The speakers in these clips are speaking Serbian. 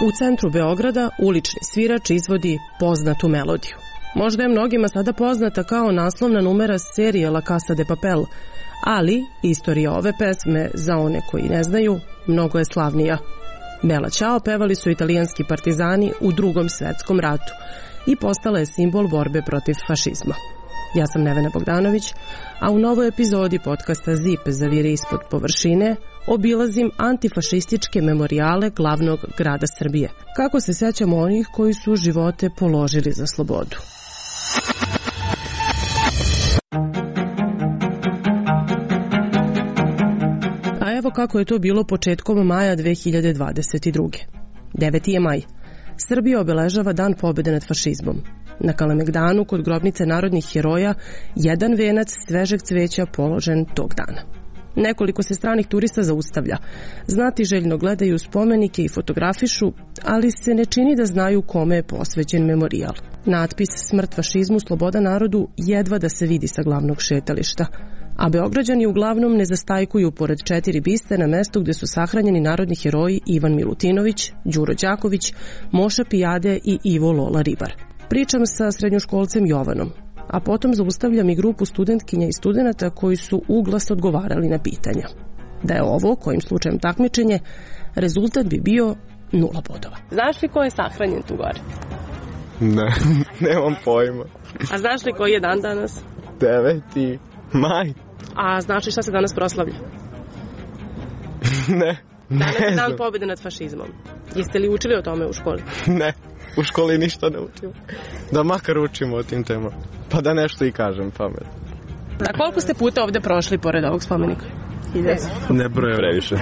U centru Beograda ulični svirač izvodi poznatu melodiju. Možda je mnogima sada poznata kao naslovna numera serije La Casa de Papel, ali istorija ove pesme, za one koji ne znaju, mnogo je slavnija. Bella Ciao pevali su italijanski partizani u Drugom svetskom ratu i postala je simbol borbe protiv fašizma. Ja sam Nevena Bogdanović, a u novoj epizodi podcasta ZIP Zaviri ispod površine obilazim antifašističke memorijale glavnog grada Srbije. Kako se sećamo onih koji su živote položili za slobodu. A evo kako je to bilo početkom maja 2022. 9. je maj. Srbija obeležava Dan pobjede nad fašizmom. Na Kalemegdanu kod grobnice narodnih heroja jedan venac svežeg cveća položen tog dana. Nekoliko se stranih turista zaustavlja. Znatiželjno gledaju spomenike i fotografišu, ali se ne čini da znaju kome je posvećen memorijal. Natpis Smrt fašizmu, sloboda narodu jedva da se vidi sa glavnog šetališta, a Beograđani uglavnom ne zastajkuju pored 4 biste na mestu gde su sahranjeni narodni heroji Ivan Milutinović, Đuro Đaković, Moša Pijade i Ivo Lola Ribar. Pričam sa srednjoškolcem Jovanom, a potom zaustavljam i grupu studentkinja i studenata koji su uglas odgovarali na pitanja. Da je ovo, kojim slučajem takmičenje, rezultat bi bio 0 bodova. Znaš li ko je sahranjen tu gore? Ne, nemam pojma. A znaš li koji je dan danas? 9. maj. A znaš li šta se danas proslavlja? Ne. Danas je dan pobjede nad fašizmom. Jeste li učili o tome u školi? Ne, u školi ništa ne učimo. Da makar učimo o tim temama. Pa da nešto i kažem pamet. A koliko ste puta ovde prošli pored ovog spomenika? Nebrojeno. Previše.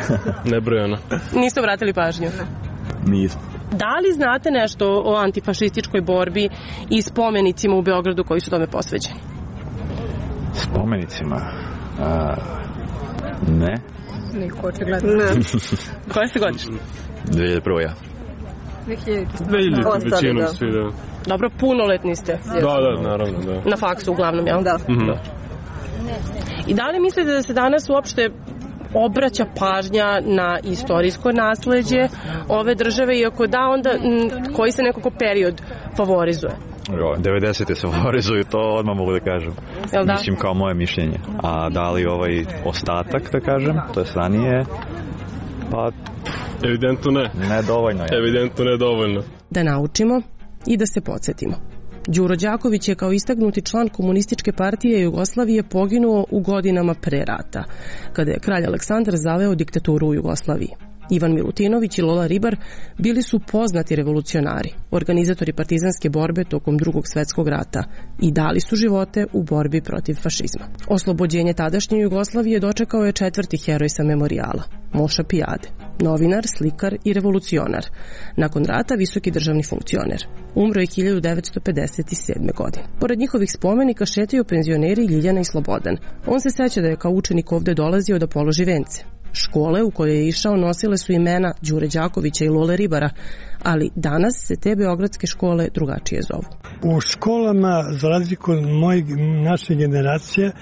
Nebrojeno. Niste obratili pažnju? Nismo. Da li znate nešto o antifašističkoj borbi i spomenicima u Beogradu koji su tome posvećeni? Spomenicima? Ne. Niko očigledno. Ne. Koje ste godište? 2001. ja. 2000, većinom svi, da. Dobro, punoletni ste. Da, naravno, da. Na faksu uglavnom, jel? Da. I da li mislite da se danas uopšte obraća pažnja na istorijsko nasleđe ove države, iako da, onda koji se nekako period favorizuje? 90. se favorizuju, to odmah mogu da kažem. Da? Mislim kao moje mišljenje. A da li ovaj ostatak, da kažem, to je ranije, pa... Evidentno ne. Ne dovoljno je. Evidentno ne dovoljno. Da naučimo i da se podsjetimo. Đuro Đaković je kao istaknuti član Komunističke partije Jugoslavije poginuo u godinama pre rata, kada je kralj Aleksandar zaveo diktaturu u Jugoslaviji. Ivan Milutinović i Lola Ribar bili su poznati revolucionari, organizatori partizanske borbe tokom Drugog svetskog rata i dali su živote u borbi protiv fašizma. Oslobođenje tadašnje Jugoslavije dočekao je 4. heroj sa memorijala, Moša Pijade, novinar, slikar i revolucionar. Nakon rata visoki državni funkcioner. Umro je 1957. godine. Pored njihovih spomenika šetaju penzioneri Ljiljana i Slobodan. On se seća da je kao učenik ovde dolazio da položi vence. Škole u koje je išao nosile su imena Đure Đakovića i Lole Ribara, ali danas se te beogradske škole drugačije zovu. U školama, za razliku od naše generacije,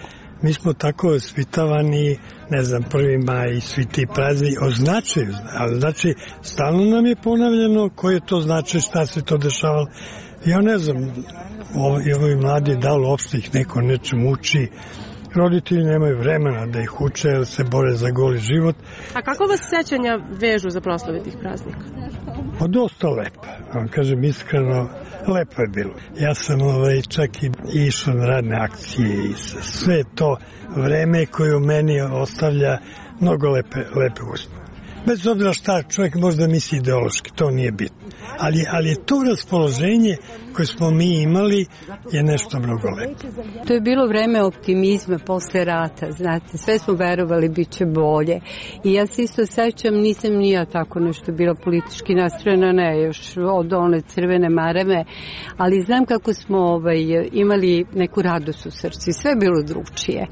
mi smo tako osvitavani, ne znam, 1. maj i svi ti prazni označuju, ali znači stalno nam je ponavljeno koje to znači, šta se to dešavalo. Ja ne znam, ovi mladi, da li uopšte ih neko nečem uči, roditelji nemaju vremena da ih uče jer se bore za goli život. A kako vas sećanja vežu za proslave tih praznika? Pa dosta lepo, vam kažem iskreno, lepo je bilo. Ja sam čak i išao na radne akcije i sve to vreme koje u meni ostavlja mnogo lepe uspomene. Bez obzira šta čovjek možda misli ideološki, to nije bitno. Ali je to raspoloženje koje smo mi imali je nešto mnogo lepo. To je bilo vreme optimizma posle rata, znate, sve smo verovali bit će bolje. I ja se isto sećam, nisam ni ja tako nešto bila politički nastrojena, ne, još od one crvene marame, ali znam kako smo imali neku radost u srcu, sve je bilo drugčije.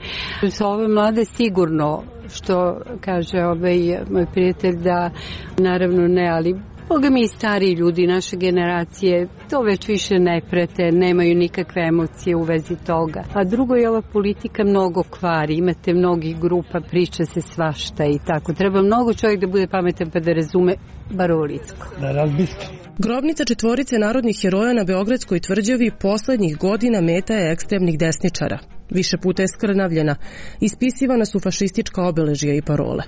Sa ove mlade sigurno, što kaže moj prijatelj, da naravno ne, ali Boga mi i stariji ljudi naše generacije to već više ne prete, nemaju nikakve emocije u vezi toga. A drugo je ova politika mnogo kvari, imate mnogih grupa, priča se svašta i tako. Treba mnogo čovjek da bude pametan pa da razume bar ovo Licko. Da razmisli. Grobnica četvorice narodnih heroja na Beogradskoj tvrđavi poslednjih godina meta je ekstremnih desničara. Više puta je skrnavljena, ispisivana su fašistička obeležja i parole.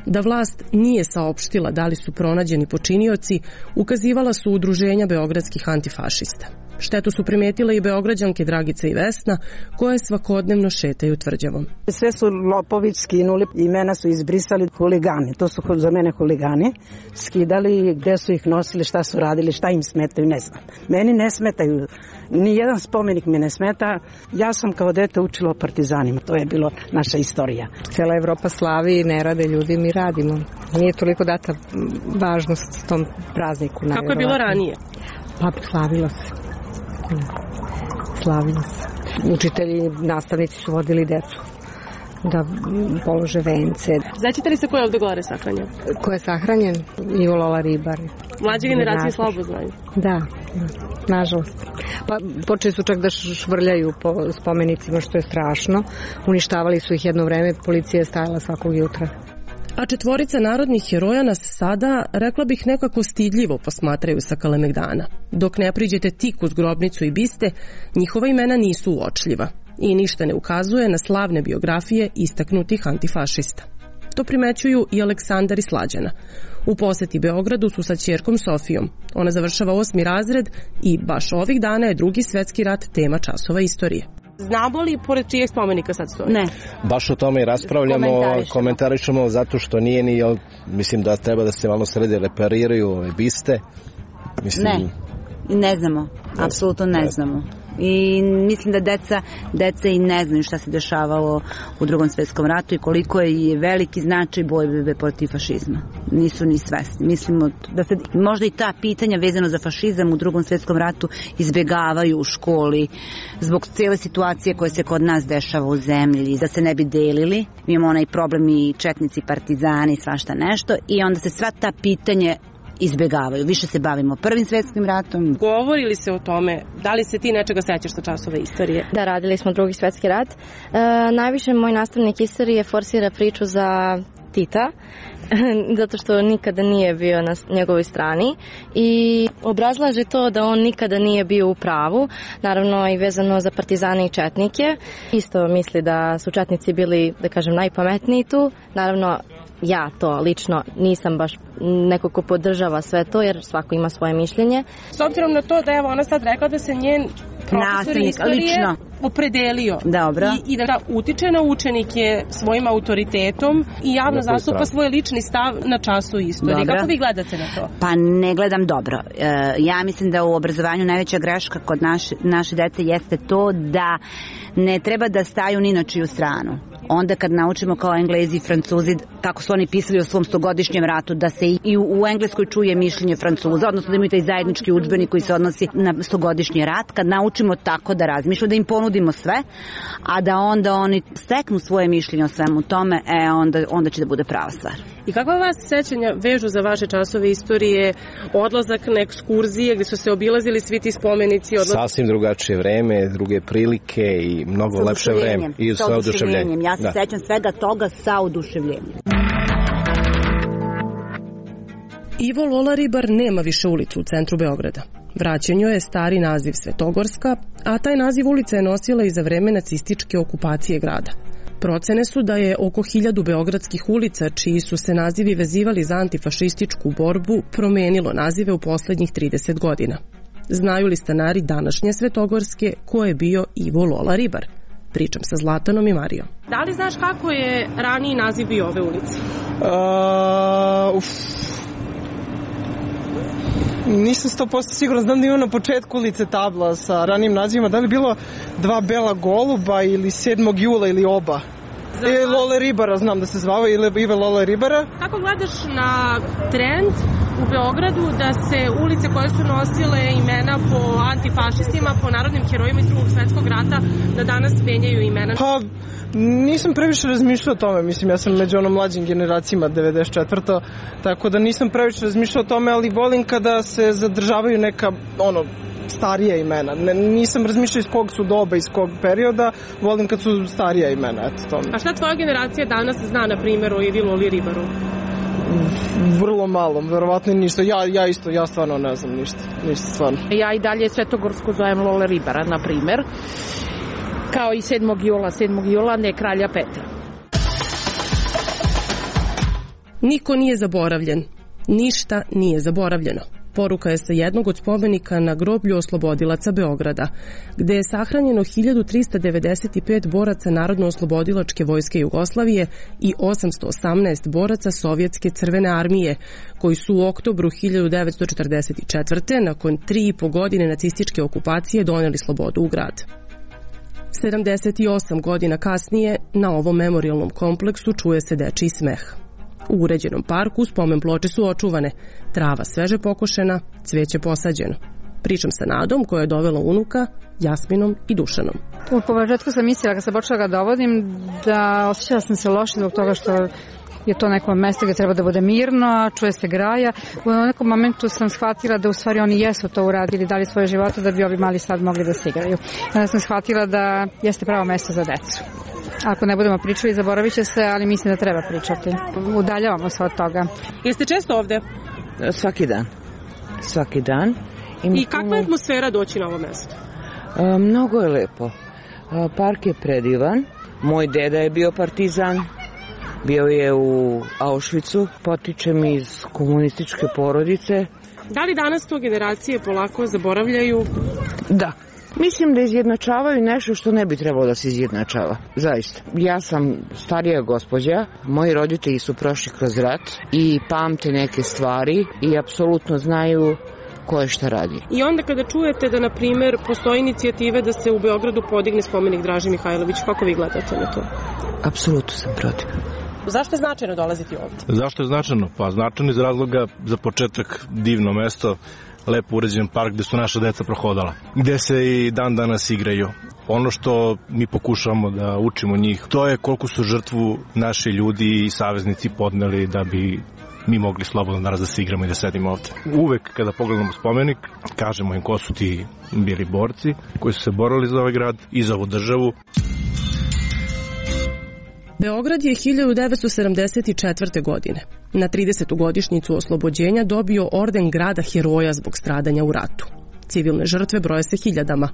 Da vlast nije saopštila da li su pronađeni počinioci, ukazivala su udruženja beogradskih antifašista. Štetu su primetile i beograđanke Dragica i Vesna, koje svakodnevno šetaju tvrđavom. Sve su lopovi skinuli, imena su izbrisali, huligani, to su za mene huligani, skidali, gde su ih nosili, šta su radili, šta im smetaju, ne znam. Meni ne smetaju, ni jedan spomenik mi ne smeta, ja sam kao dete učila o partizanima, to je bilo naša istorija. Cela Evropa slavi i ne rade ljudi, mi radimo. Nije toliko data važnost tom prazniku. Kako je bilo ranije? Pa slavilo se. Slavilo se. Učitelji, nastavnici su vodili decu da polože vence. Znaćete li se ko je ovde gore sahranjen? Ko je sahranjen? Ivo Lola Ribar. Mlađe generacije slabo znaju. Da, nažalost. Pa počeli su čak da švrljaju po spomenicima, što je strašno. Uništavali su ih jedno vreme, policija je stajala svakog jutra. A četvorica narodnih heroja nas sada, rekla bih, nekako stidljivo posmatraju sa Kalemegdana. Dok ne priđete tik uz grobnicu i biste, njihova imena nisu uočljiva i ništa ne ukazuje na slavne biografije istaknutih antifašista. To primećuju i Aleksandar i Slađana. U poseti Beogradu su sa ćerkom Sofijom. Ona završava 8. razred i baš ovih dana je Drugi svetski rat tema časova istorije. Znamo li pored čijeg spomenika sad stoji? Ne. Baš o tome i raspravljamo, komentarišemo zato što nije ni, mislim da treba da se malo sredi repariraju ove biste. Mislim, ne znamo, apsolutno ne znamo. I mislim da deca i ne znaju šta se dešavalo u Drugom svetskom ratu i koliko je veliki značaj borbe protiv fašizma. Nisu ni svesni. Mislimo da se možda i ta pitanja vezano za fašizam u Drugom svetskom ratu izbegavaju u školi zbog cele situacije koja se kod nas dešava u zemlji, da se ne bi delili. Mi imamo onaj problem i četnici, partizani, svašta nešto i onda se sva ta pitanje izbegavaju. Više se bavimo Prvim svetskim ratom. Govori li se o tome? Da li se ti nečega sećaš sa časova istorije? Da, radili smo Drugi svetski rat. Najviše moj nastavnik istorije forsira priču za Tita, zato što nikada nije bio na njegovoj strani i obrazlaže to da on nikada nije bio u pravu, naravno i vezano za partizane i četnike. Isto misli da su četnici bili, da kažem, najpametniji tu. Naravno, ja to lično nisam baš neko ko podržava sve to, jer svako ima svoje mišljenje. S obzirom na to da je ona sad rekla da se njen profesor istorije lično opredelio i da utiče na učenike svojim autoritetom i javno zastupa svoj lični stav na času istorije. Kako vi gledate na to? Pa ne gledam dobro. Ja mislim da u obrazovanju najveća greška kod naše dece jeste to da ne treba da staju ni na čiju stranu. Onda kad naučimo kao Englezi i Francuzi kako su oni pisali o svom 100-godišnjem ratu, da se i u Engleskoj čuje mišljenje Francuza, odnosno da imaju taj zajednički udžbenik koji se odnosi na 100-godišnji rat, kad naučimo tako da razmišljamo, da im ponudimo sve, a da onda oni steknu svoje mišljenje o svemu tome, onda će da bude prava stvar. I kakva vas sećanja vežu za vaše časove istorije, odlazak na ekskurzije gdje su se obilazili svi ti spomenici? Sasvim drugačije vreme, druge prilike i mnogo lepše vreme. I sa oduševljenjem. Ja se sećam svega toga sa oduševljenjem. Ivo Lola Ribar nema više ulicu u centru Beograda. Vraćen joj je stari naziv Svetogorska, a taj naziv ulica je nosila i za vreme nacističke okupacije grada. Procene su da je oko 1000 beogradskih ulica, čiji su se nazivi vezivali za antifašističku borbu, promenilo nazive u poslednjih 30 godina. Znaju li stanari današnje Svetogorske ko je bio Ivo Lola Ribar? Pričam sa Zlatanom i Marijom. Da li znaš kako je raniji naziv bio ove ulice? Nisam 100% siguran, znam da ima na početku ulice tabla sa ranijim nazivima, da li bilo 2 bela goluba ili 7. jula ili oba. Lole Ribara, znam da se zvao, ili Ive Lole Ribara. Kako gledaš na trend u Beogradu da se ulice koje su nosile imena po antifašistima, po narodnim herojima iz Drugog svetskog rata, da danas menjaju imena? Pa, nisam previše razmišljao o tome, mislim, ja sam među onom mlađim generacijama, 94. Tako da nisam previše razmišljao o tome, ali volim kada se zadržavaju neka, starija imena. Nisam razmišljao iz kog su doba, iz kog perioda, volim kad su starija imena, eto to. A šta tvoja generacija danas zna, na primjer, o Ivi Loli Ribaru? Vrlo malo, verovatno ništa. Ja stvarno ne znam ništa stvarno. Ja i dalje Svetogorsku zovem Lole Ribara, na primjer, kao i 7. jula, ne kralja Petra. Niko nije zaboravljen. Ništa nije zaboravljeno. Poruka je sa jednog od spomenika na groblju oslobodilaca Beograda, gde je sahranjeno 1395 boraca Narodno-oslobodilačke vojske Jugoslavije i 818 boraca Sovjetske crvene armije, koji su u oktobru 1944. nakon 3,5 godine nacističke okupacije doneli slobodu u grad. 78 godina kasnije na ovom memorijalnom kompleksu čuje se dečiji smeh. U uređenom parku spomen ploče su očuvane, trava sveže pokošena, cveće posađeno. Pričam sa Nadom koja je dovela unuka, Jasminom i Dušanom. U početku sam mislila kad sam počela ga dovodim da osjećala sam se loše zbog toga što je to neko mesto gdje treba da bude mirno, a čuje se graja. U nekom momentu sam shvatila da u stvari oni jesu to uradili, dali svoje živote da bi ovi mali sad mogli da se igraju. Onda sam shvatila da jeste pravo mesto za decu. Ako ne budemo pričali, zaboravit će se, ali mislim da treba pričati. Udaljavamo se od toga. Jeste često ovde? Svaki dan. I kakva je atmosfera doći na ovo mesto? Mnogo je lepo. Park je predivan. Moj deda je bio partizan. Bio je u Auschwitzu. Potičem iz komunističke porodice. Da li danas to generacije polako zaboravljaju? Da. Mislim da izjednačavaju nešto što ne bi trebalo da se izjednačava. Zaista. Ja sam starija gospođa, moji roditelji su prošli kroz rat i pamte neke stvari i apsolutno znaju ko je šta radi. I onda kada čujete da, na primjer, postoji inicijative da se u Beogradu podigne spomenik Draži Mihajlović, kako vi gledate na to? Apsolutno sam protiv. Zašto je značajno dolaziti ovdje? Zašto je značajno? Pa značajno iz razloga, za početak, divno mesto, lepo uređen park gde su naša deca prohodala, gde se i dan danas igraju. Ono što mi pokušavamo da učimo njih, to je koliko su žrtvu naši ljudi i saveznici podneli da bi mi mogli slobodno danas da se igramo i da sedimo ovde. Uvek kada pogledamo spomenik, kažemo im ko su ti bili borci koji su se borili za ovaj grad i za ovu državu. Beograd je 1974. godine na 30. godišnjicu oslobođenja dobio orden grada heroja zbog stradanja u ratu. Civilne žrtve broje se hiljadama,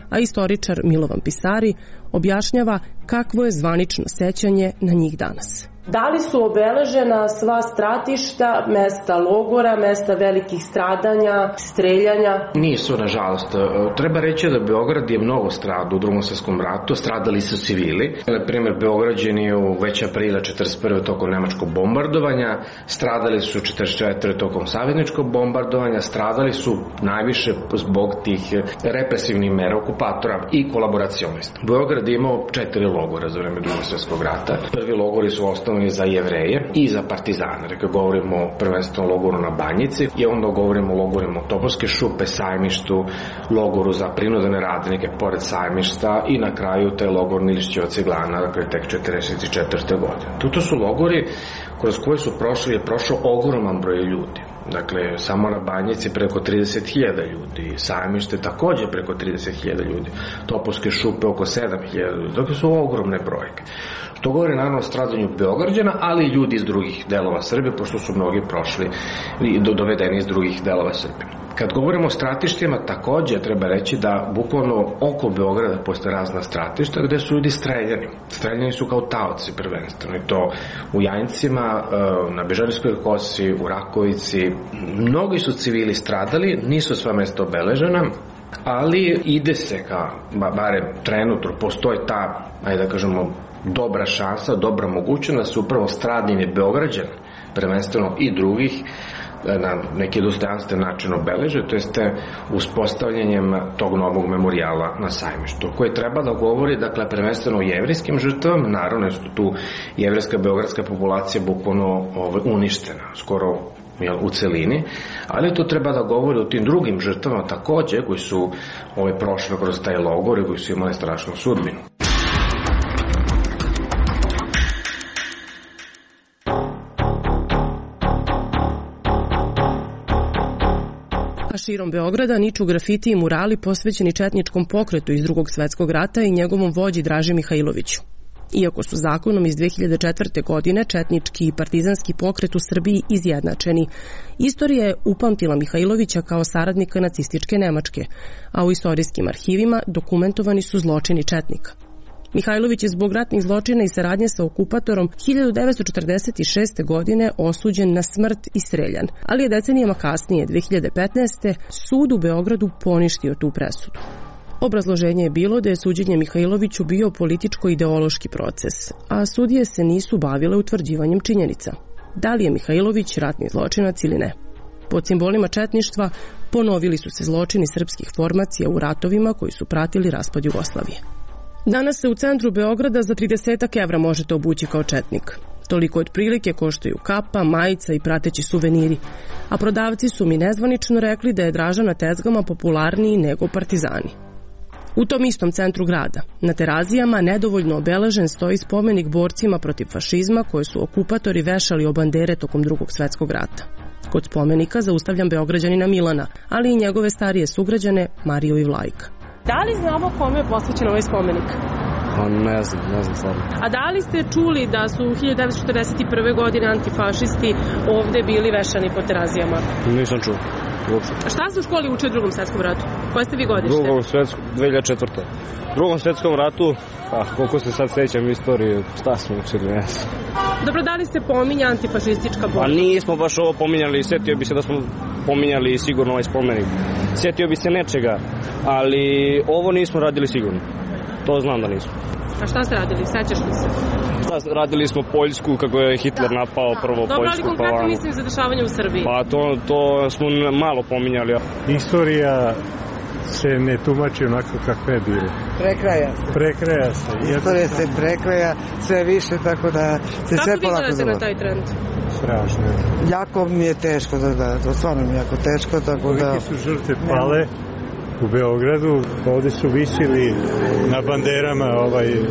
a istoričar Milovan Pisari objašnjava kakvo je zvanično sećanje na njih danas. Da li su obeležena sva stratišta, mesta logora, mesta velikih stradanja, streljanja? Nisu, nažalost. Treba reći da Beograd je mnogo stradao u Drugom svjetskom ratu, stradali su civili. Na primjer, Beograđani u već aprila 1941. tokom nemačkog bombardovanja, stradali su 1944. tokom savezničkog bombardovanja, stradali su najviše zbog tih represivnih mera okupatora i kolaboracionista. Beograd je imao 4 logora za vreme Drugog svjetskog rata. Prvi logori su osnovni za Jevreje i za partizane. Dakle, govorimo o prvenstveno logoru na Banjici i onda govorimo o logorima Topovske šupe, Sajmištu, logoru za prinudene radnike pored Sajmišta i na kraju taj logor Milišćeva Ciglana, dakle, tek 1944. godine. To su logori kroz koje je prošao ogroman broj ljudi. Dakle, samo na Banjici preko 30.000 ljudi, Sajmište također preko 30.000 ljudi, Topovske šupe oko 7.000 ljudi, dakle su ogromne brojke. To govori naravno o stradanju Beograđana, ali i ljudi iz drugih delova Srbije, pošto su mnogi prošli i dovedeni iz drugih delova Srbije. Kad govorimo o stratištima, također treba reći da bukvalno oko Beograda postoje razna stratišta gde su ljudi streljani. Streljani su kao taoci prvenstveno, i to u Jajincima, na Bežanijskoj kosi, u Rakovici. Mnogi su civili stradali, nisu sva mesta obeležena, ali ide se ka, barem trenutno, postoji ta, ajde da kažemo, dobra šansa, dobra mogućnost da se upravo stradanje Beograđana, prvenstveno i drugih, na neki dostojanstven način obeleže, to jeste uspostavljanjem tog novog memorijala na Sajmištu, koji treba da govori, dakle, prvenstveno o jevrijskim žrtvama, naravno je tu jevrejska beogradska populacija bukvalno uništena, skoro u celini, ali to treba da govori o tim drugim žrtvama takođe koji su prošli kroz taj logor i koji su imali strašnu sudbinu. A širom Beograda niču grafiti i murali posvećeni četničkom pokretu iz Drugog svetskog rata i njegovom vođi Draži Mihajloviću. Iako su zakonom iz 2004. godine četnički i partizanski pokret u Srbiji izjednačeni, istorija je upamtila Mihajlovića kao saradnika nacističke Nemačke, a u istorijskim arhivima dokumentovani su zločini četnika. Mihajlović je zbog ratnih zločina i saradnje sa okupatorom 1946. godine osuđen na smrt i streljan, ali je decenijama kasnije, 2015. sud u Beogradu poništio tu presudu. Obrazloženje je bilo da je suđenje Mihajloviću bio političko-ideološki proces, a sudije se nisu bavile utvrđivanjem činjenica. Da li je Mihajlović ratni zločinac ili ne? Pod simbolima četništva ponovili su se zločini srpskih formacija u ratovima koji su pratili raspad Jugoslavije. Danas se u centru Beograda za 30 evra možete obući kao četnik. Toliko otprilike koštaju kapa, majica i prateći suveniri, a prodavci su mi nezvanično rekli da je Draža na tezgama popularniji nego partizani. U tom istom centru grada, na Terazijama, nedovoljno obeležen stoji spomenik borcima protiv fašizma koje su okupatori vešali o bandere tokom Drugog svetskog rata. Kod spomenika zaustavljam Beograđanina Milana, ali i njegove starije sugrađane Mariju i Vlajka. Da li znamo kome je posvećen ovaj spomenik? Pa ne znam stvarno. A da li ste čuli da su 1941. godine antifašisti ovde bili vešani po Terazijama? Nisam čuo. Uopšte. A šta ste u školi učili u Drugom svetskom ratu? Koje ste vi godište? 2004. U Drugom svetskom ratu, koliko se sad sećam istorije, šta smo učili, ne znam. Dobro, da li ste pominja antifašistička borba? Pa nismo baš ovo pominjali, setio bi se da smo pominjali sigurno ovaj spomenik. Setio bi se nečega, ali ovo nismo radili sigurno. To znam da nismo. A šta ste radili? Sećaš li se? Radili smo Poljsku, kako je Hitler napao prvo Poljsku. Dobro, ali konkretno mislim za dešavanje u Srbiji. Pa to smo malo pominjali. Istorija se ne tumači onako kako je bilo. Prekraja se. Istorija se prekraja sve više, tako da se sve polako Kako vi gledate na taj trend? Strašno. Jako mi je teško da gledam, to stvarno mi je jako teško, tako da... Kolike su žrtve pale u Beogradu, ovde su visili na banderama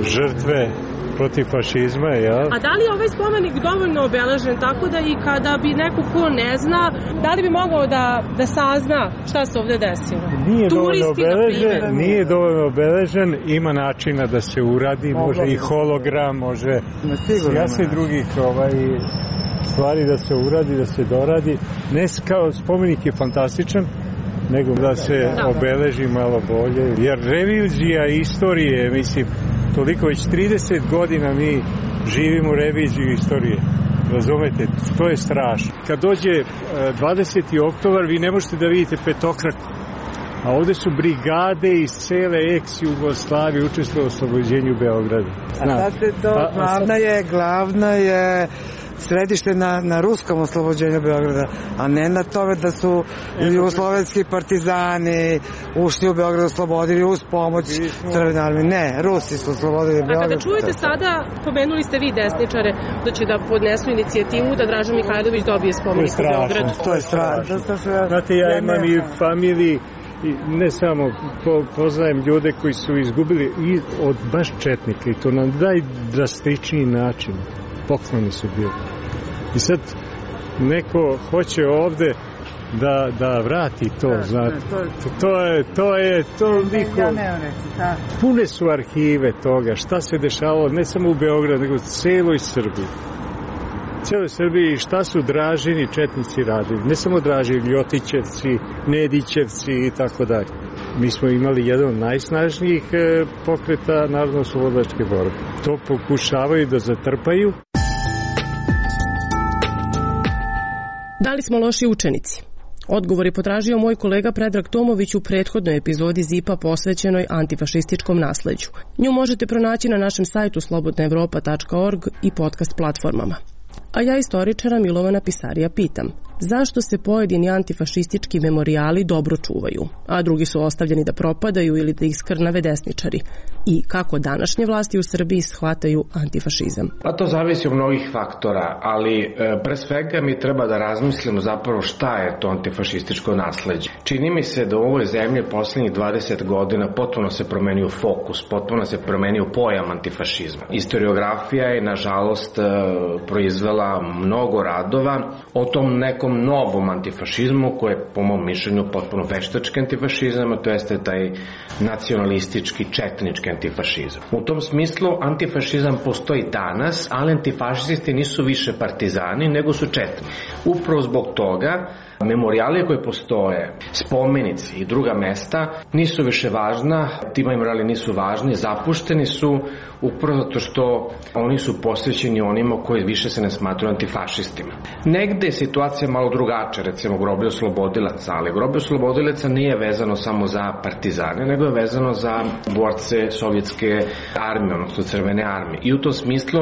žrtve protiv fašizma, jel? A da li je ovaj spomenik dovoljno obeležen tako da i kada bi neko ko ne zna, da li bi mogao da sazna šta se ovde desilo? Nije dovoljno obeležen, ima načina da se uradi, može i hologram, može jasne drugih stvari da se uradi, da se doradi. Ne kao spomenik je fantastičan, nego da se obeleži malo bolje. Jer revizija istorije, mislim, toliko već 30 godina mi živimo reviziju istorije. Razumete? To je strašno. Kad dođe 20. oktobar, vi ne možete da vidite petokraku. A ovde su brigade iz cele ex-Jugoslavije učestvovale u oslobođenju Beograda. A sad se to, glavna je središte na ruskom oslobođenju Beograda, a ne na tome da su jugoslovenski partizani ušli u Beograd, oslobodili uz pomoć Crvene armije. Ne, Rusi su oslobodili Beograd. A kada čujete sada, pomenuli ste vi desničare, da će da podnesu inicijativu da Draža Mihajlović dobije spomenik u Beogradu. To je strašno. Znate, ja imam i familiji, ne samo poznajem ljude koji su izgubili i od baš četnika i to na najdrastičniji način. Pokloni su bili. I sad neko hoće ovde da vrati to, znate. To niko... Pune su arhive toga, šta se dešavalo, ne samo u Beogradu, nego u celoj Srbiji. Celoj Srbiji šta su Dražini četnici radili. Ne samo Dražini, Ljotićevci, Nedićevci i tako dalje. Mi smo imali jedan od najsnažnijih pokreta narodno-oslobodilačke borbe. To pokušavaju da zatrpaju. Da li smo loši učenici? Odgovor je potražio moj kolega Predrag Tomović u prethodnoj epizodi ZIP-a posvećenoj antifašističkom nasleđu. Nju možete pronaći na našem sajtu slobodnaevropa.org i podcast platformama. A ja istoričara Milovana Pisarija pitam, zašto se pojedini antifašistički memorijali dobro čuvaju, a drugi su ostavljeni da propadaju ili da ih skrnave desničari, i kako današnje vlasti u Srbiji shvataju antifašizam. Pa to zavisi od mnogih faktora, ali pre svega mi treba da razmislimo zapravo šta je to antifašističko nasleđe. Čini mi se da u ovoj zemlji poslednjih 20 godina potpuno se promenio fokus, potpuno se promenio pojam antifašizma. Historiografija je, nažalost, proizvela mnogo radova o tom nekom novom antifašizmu koji je, po mom mišljenju, potpuno veštački antifašizam, a to jeste taj nacionalistički, četnički antifašizam. U tom smislu antifašizam postoji danas, ali antifašisti nisu više partizani, nego su četni. Upravo zbog toga memorijali koji postoje, spomenici i druga mesta nisu više važna, ti memorijali nisu važni, zapušteni su upravo zato što oni su posvećeni onima koji više se ne smatruju antifašistima. Negde je situacija malo drugačija, recimo groblje oslobodilaca, ali groblje oslobodilaca nije vezano samo za partizane, nego je vezano za borce sovjetske armije, odnosno Crvene armije. I u tom smislu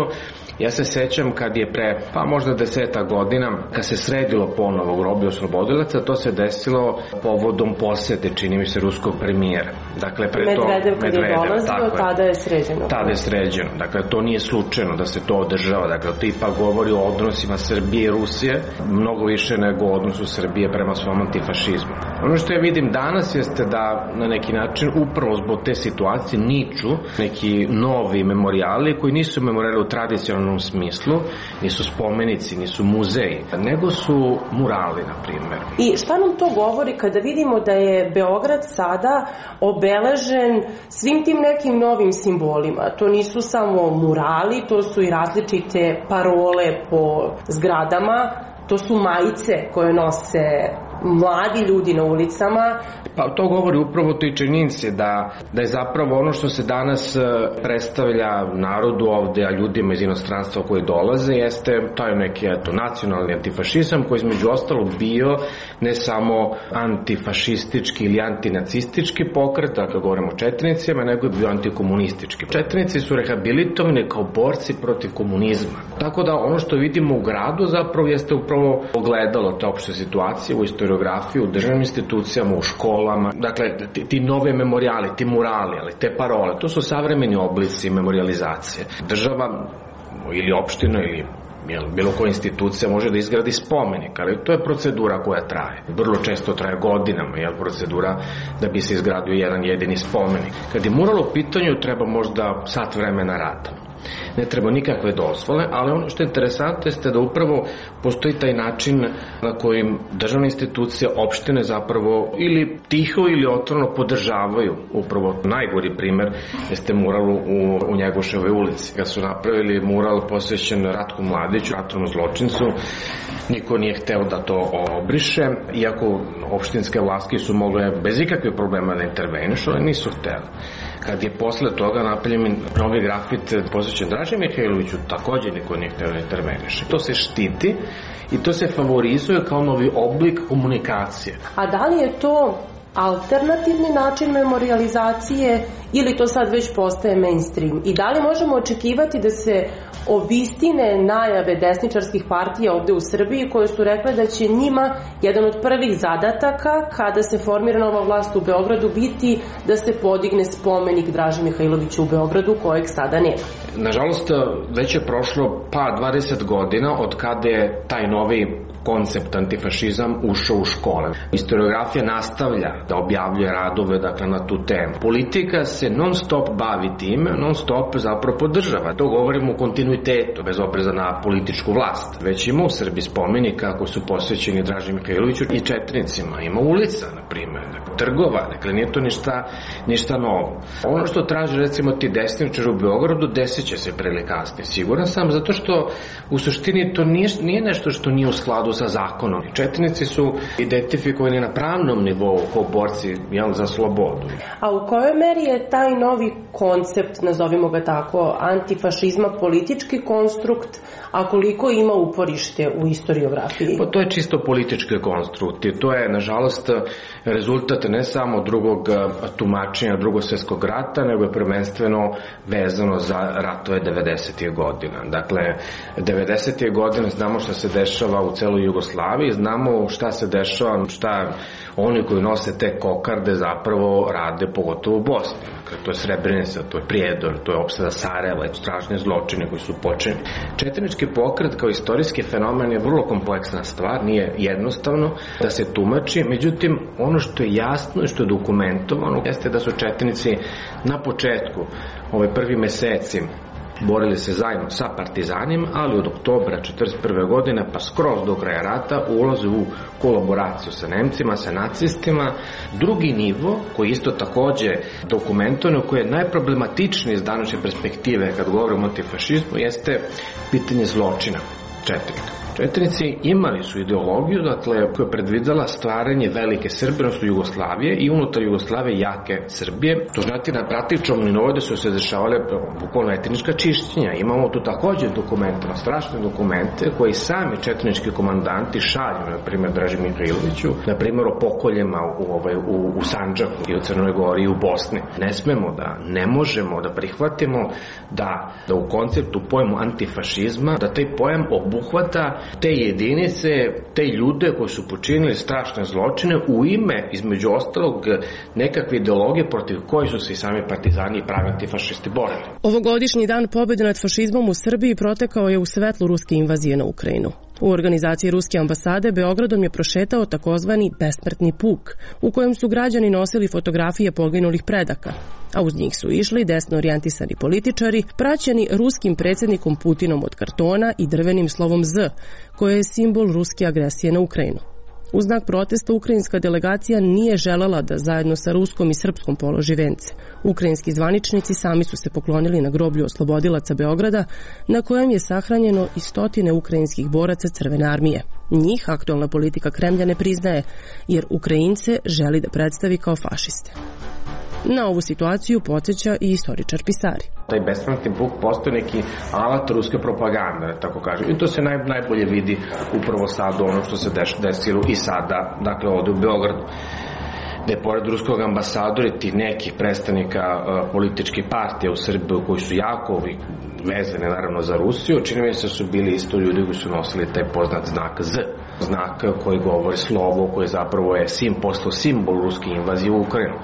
ja se sećam kad je pre, pa možda 10 godina, kad se sredilo ponovo groblje oslobodilaca, to se desilo povodom posete, čini mi se, ruskog premijera. Dakle, pre to Medvedev kad je dolazio, tada je sređeno. Tada je sređeno. Dakle, to nije slučajno da se to održava. Dakle, to ipak govori o odnosima Srbije i Rusije, mnogo više nego o odnosu Srbije prema svom antifašizmu. Ono što ja vidim danas jeste da na neki način upravo zbog te situacije niču neki novi memorijali koji nisu memorijali u tradicionalnom smislu, nisu spomenici, nisu muzeji, nego su murali, na primjer. I šta nam to govori kada vidimo da je Beograd sada obeležen svim tim nekim novim simbolima? To nisu samo murali, to su i različite parole po zgradama, to su majice koje nose mladi ljudi na ulicama. Pa to govori upravo toj činjenici da je zapravo ono što se danas predstavlja narodu ovde, a ljudima iz inostranstva koji dolaze, jeste taj neki nacionalni antifašizam koji između ostalog bio ne samo antifašistički ili antinacistički pokret, dakle govorimo o četnicima, nego je bio antikomunistički. Četnici su rehabilitovani kao borci protiv komunizma. Tako da ono što vidimo u gradu zapravo jeste upravo ogledalo te opšte situacije u historiografiji, u državnim institucijama, u školama. Dakle, ti nove memorijali, ti murali, ali te parole, to su savremeni oblici memorijalizacije. Država ili opština ili bilo koja institucija može da izgradi spomenik, ali to je procedura koja traje. Vrlo često traje godinama, procedura da bi se izgradio jedan jedini spomenik. Kad je mural u pitanju, treba možda sat vremena rada. Ne treba nikakve dozvole, ali ono što je interesantno jeste da upravo postoji taj način na kojim državne institucije, opštine zapravo ili tiho ili otvoreno podržavaju. Upravo najgori primer jeste mural u Njegoševoj ulici. Kad su napravili mural posvećen Ratku Mladiću, ratnom zločincu, niko nije hteo da to obriše, iako opštinske vlasti su mogle bez ikakvih problema da intervenišu, ali nisu hteli. Kad je posle toga napravljen novi grafit posvećen Draži Mihajloviću, takođe niko nije hteo da interveniše. To se štiti i to se favorizuje kao novi oblik komunikacije. A da li je to alternativni način memorijalizacije ili to sad već postaje mainstream? I da li možemo očekivati da se obistine najave desničarskih partija ovde u Srbiji koje su rekle da će njima jedan od prvih zadataka kada se formira nova vlast u Beogradu biti da se podigne spomenik Draži Mihajloviću u Beogradu kojeg sada nema? Nažalost, već je prošlo 20 godina od kada je taj novi koncept antifašizam ušao u škole. Historiografija nastavlja da objavljuje radove na tu temu. Politika se non stop bavi time, non stop zapravo podržava. To govorimo u kontinuitetu, bez opreza na političku vlast. Već ima u Srbiji spomenika koji su posvećeni Draži Mihajloviću i četnicima. Ima ulica, na primjer, trgova, dakle nije to ništa novo. Ono što traže recimo ti desničari u Beogradu desit će se pre ili kasnije. Siguran sam, zato što u suštini to nije nešto što nije u skladu sa zakonom. Četnici su identifikovani na pravnom nivou kao borci za slobodu. A u kojoj meri je taj novi koncept, nazovimo ga tako, antifašizma politički konstrukt, a koliko ima uporište u istoriografiji? Pa to je čisto politički konstrukt i to je, nažalost, rezultat ne samo drugog tumačenja Drugog svjetskog rata, nego je prvenstveno vezano za ratove 90. godina. Dakle, 90. godine znamo šta se dešava u celoj Jugoslaviji, znamo šta se dešava, šta oni koji nose te kokarde zapravo rade, pogotovo u Bosni. Dakle, to je Srebrenica, to je Prijedor, to je opsada Sarajeva, strašne zločine koji su počinjeni. Četnički pokret kao istorijski fenomen je vrlo kompleksna stvar, nije jednostavno da se tumači, međutim, ono što je jasno i što je dokumentovano jeste da su četnici na početku, prvi meseci, borili se zajedno sa partizanima, ali od oktobra 1941. godine pa skroz do kraja rata ulaze u kolaboraciju sa Nemcima, sa nacistima. Drugi nivo, koji isto takođe dokumentovano, koji je najproblematičniji iz današnje perspektive kad govorimo o antifašizmu, jeste pitanje zločina četnika. Četnici imali su ideologiju, dakle, koja je predvidela stvaranje velike Srbije, odnosno Jugoslavije i unutar Jugoslavije jake Srbije. To znači na praktičnom nivou da su se dešavale bukvalno etnička čišćenja. Imamo tu takođe dokumente, strašne dokumente koji sami četnički komandanti šalju, na primjer Draži Mihajloviću, na primjer o pokoljima u Sandžaku i u Crnoj Gori i u Bosni. Ne smemo ne možemo da prihvatimo da u konceptu pojmu antifašizma, da taj pojam obuhvata te jedinice, te ljude koji su počinili strašne zločine u ime, između ostalog, nekakve ideologije protiv koji su se i sami partizani i pravi antifašisti borili. Ovogodišnji dan pobjede nad fašizmom u Srbiji protekao je u svetlu ruske invazije na Ukrajinu. U organizaciji Ruske ambasade Beogradom je prošetao takozvani besmrtni puk, u kojem su građani nosili fotografije poginulih predaka, a uz njih su išli desno orijentisani političari, praćeni ruskim predsjednikom Putinom od kartona i drvenim slovom Z, koje je simbol ruske agresije na Ukrajinu. U znak protesta ukrajinska delegacija nije želela da zajedno sa ruskom i srpskom položi vence. Ukrajinski zvaničnici sami su se poklonili na groblju oslobodilaca Beograda, na kojem je sahranjeno i stotine ukrajinskih boraca Crvene armije. Njih aktualna politika Kremlja ne priznaje, jer Ukrajince želi da predstavi kao fašiste. Na ovu situaciju podsjeća i istoričar Pisari. Taj besmrtni puk postoji neki alat ruske propagande, tako kažem. I to se najbolje vidi upravo sad ono što se desilo i sada, dakle ovde u Beogradu. Da je pored ruskog ambasadora i tih nekih predstavnika političkih partija u Srbiji koji su jako vezane naravno za Rusiju, čini mi se da su bili isto ljudi koji su nosili taj poznat znak Z. Znak koji govori slovo, koji zapravo je postao simbol ruske invazije u Ukrajinu.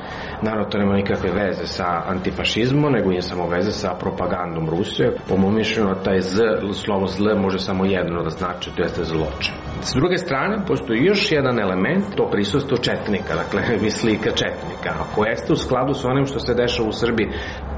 Naravno, to nema nikakve veze sa antifašizmom, nego je samo veze sa propagandom Rusije. Po mom mišljenju, taj slovo zl može samo jedno da znači, to jeste zločin. S druge strane, postoji još jedan element, to prisustvo četnika, dakle, slika četnika, koja jeste u skladu sa onim što se dešava u Srbiji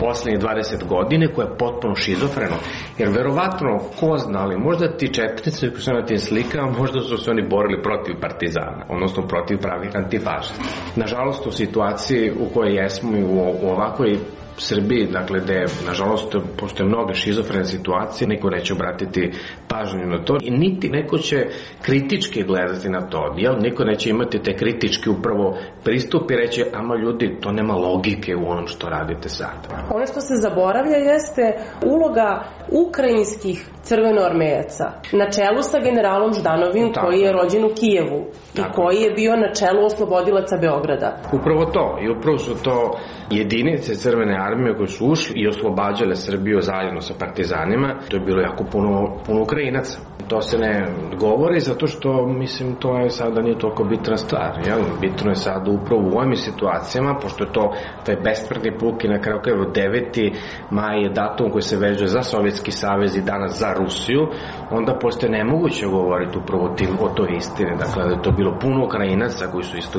poslednjih 20 godine, koja je potpuno šizofreno. Jer verovatno, ko zna, ali možda ti četnici koji su na tim slikama, možda su se oni borili protiv partizana, odnosno protiv pravih antifašista. Nažalost, u situaciji u kojoj jesmo i u ovakvoj Srbiji, dakle, gde, nažalost, postoje mnoge šizofrene situacije, niko neće obratiti pažnju na to i niti neko će kritički gledati na to, jel? Niko neće imati te kritički upravo pristup i reći, ama ljudi, to nema logike u onom što radite sad. Ono što se zaboravlja jeste uloga ukrajinskih crvenoarmejaca na čelu sa generalom Ždanovim, koji je rođen u Kijevu i koji je bio na čelu oslobodilaca Beograda. Upravo to, i upravo su to jedinice Crvene armije koje su ušli i oslobađale Srbiju zajedno sa partizanima. To je bilo jako puno Ukrajinaca. To se ne govori zato što, mislim, to je sada nije toliko bitna stvar. Jel? Bitno je sada upravo u ovim situacijama, pošto je to taj besmrtni puk i na kraju krajeva 9. maj je datum koji se vezuje za Sovjetski savez i danas za Rusiju, onda postoje nemoguće govoriti upravo o toj istini. Dakle, da je to bilo puno Ukrajinaca koji su isto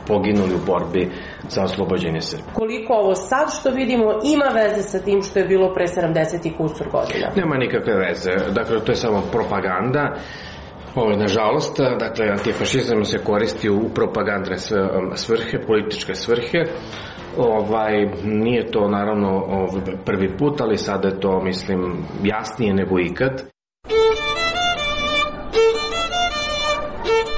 poginuli u borbi za oslobođenje Srbije. Koliko ovo sad što vidimo ima veze sa tim što je bilo pre 70 i kusur godina? Nema nikakve veze. Dakle, to je samo propaganda. Nažalost, dakle, antifašizam se koristi u propagandne svrhe, političke svrhe. Nije to naravno prvi put, ali sada je to, mislim, jasnije nego ikad.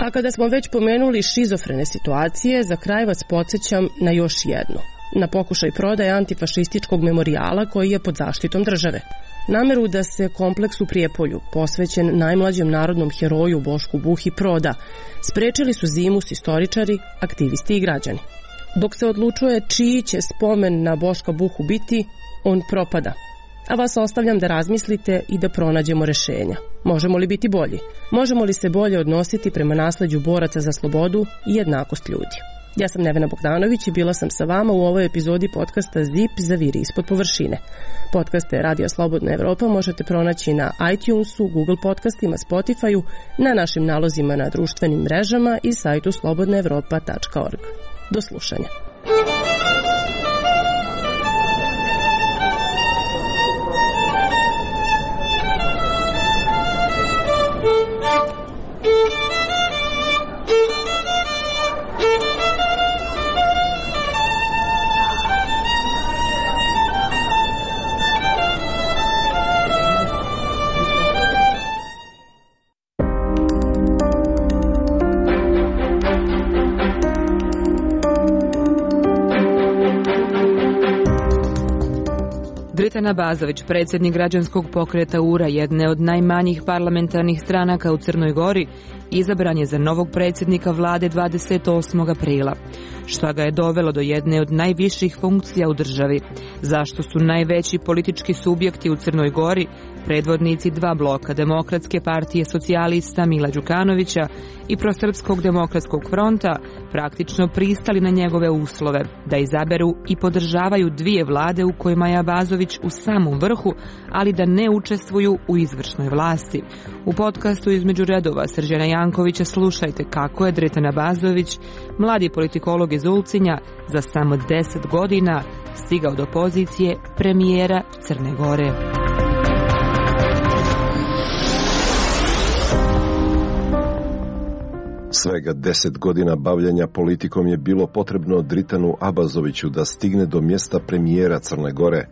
A kada smo već pomenuli šizofrene situacije, za kraj vas podsjećam na još jednu. Na pokušaj prodaje antifašističkog memorijala koji je pod zaštitom države. Nameru da se kompleks u Prijepolju, posvećen najmlađem narodnom heroju Bošku Buhi, proda, sprečili su zimus istoričari, aktivisti i građani. Dok se odlučuje čiji će spomen na Boška Buhu biti, on propada. A vas ostavljam da razmislite i da pronađemo rešenja. Možemo li biti bolji? Možemo li se bolje odnositi prema nasleđu boraca za slobodu i jednakost ljudi? Ja sam Nevena Bogdanović i bila sam sa vama u ovoj epizodi podcasta ZIP Zaviri ispod površine. Podcaste Radio Slobodna Evropa možete pronaći na iTunesu, Google podcastima, Spotifyu, na našim nalozima na društvenim mrežama i sajtu slobodnaevropa.org. Do slušanja. Dritan Abazović, predsjednik građanskog pokreta URA, jedne od najmanjih parlamentarnih stranaka u Crnoj Gori, izabran je za novog predsjednika vlade 28. aprila. Šta ga je dovelo do jedne od najviših funkcija u državi? Zašto su najveći politički subjekti u Crnoj Gori, predvodnici dva bloka, Demokratske partije socijalista Mila Đukanovića i Prosrpskog demokratskog fronta, praktično pristali na njegove uslove da izaberu i podržavaju dvije vlade u kojima je Abazović u samom vrhu, ali da ne učestvuju u izvršnoj vlasti? U podcastu Između redova Srđana Jankovića slušajte kako je Dritan Abazović, mladi politikolog iz Ulcinja, za samo 10 godina stigao do pozicije premijera Crne Gore. Svega 10 godina bavljanja politikom je bilo potrebno Dritanu Abazoviću da stigne do mjesta premijera Crne Gore,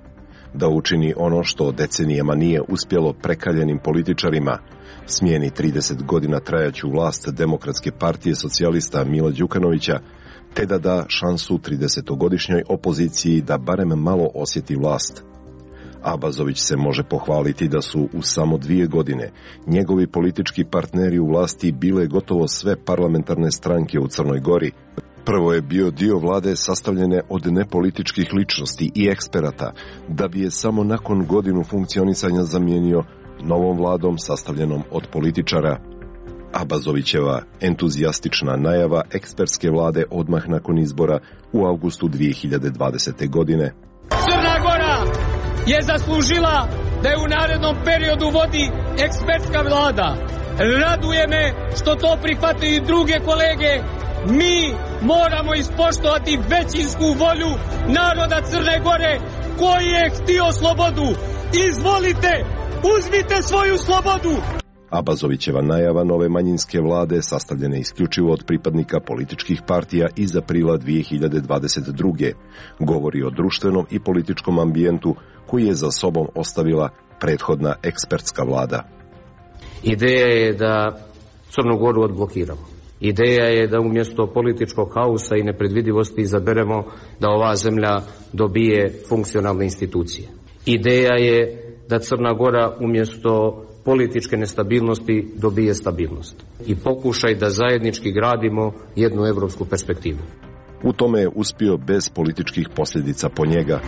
da učini ono što decenijama nije uspjelo prekaljenim političarima, smijeni 30 godina trajaću vlast Demokratske partije socijalista Mila Đukanovića, te da da šansu 30-godišnjoj opoziciji da barem malo osjeti vlast. Abazović se može pohvaliti da su u samo 2 godine njegovi politički partneri u vlasti bile gotovo sve parlamentarne stranke u Crnoj Gori. Prvo je bio dio vlade sastavljene od nepolitičkih ličnosti i eksperata, da bi je samo nakon godinu funkcionisanja zamijenio novom vladom sastavljenom od političara. Abazovićeva entuzijastična najava ekspertske vlade odmah nakon izbora u avgustu 2020. godine. Crna Gora je zaslužila da je u narednom periodu vodi ekspertska vlada. Raduje me što to prihvataju i druge kolege. Mi moramo ispoštovati većinsku volju naroda Crne Gore koji je htio slobodu. Izvolite, uzmite svoju slobodu. Abazovićeva najava nove manjinske vlade, sastavljene isključivo od pripadnika političkih partija iz aprila 2022. govori o društvenom i političkom ambijentu koji je za sobom ostavila prethodna ekspertska vlada. Ideja je da Crnu Goru odblokiramo. Ideja je da umjesto političkog haosa i nepredvidivosti izaberemo da ova zemlja dobije funkcionalne institucije. Ideja je da Crna Gora umjesto političke nestabilnosti dobije stabilnost i pokušaj da zajednički gradimo jednu evropsku perspektivu. U tome je uspio bez političkih posljedica po njega.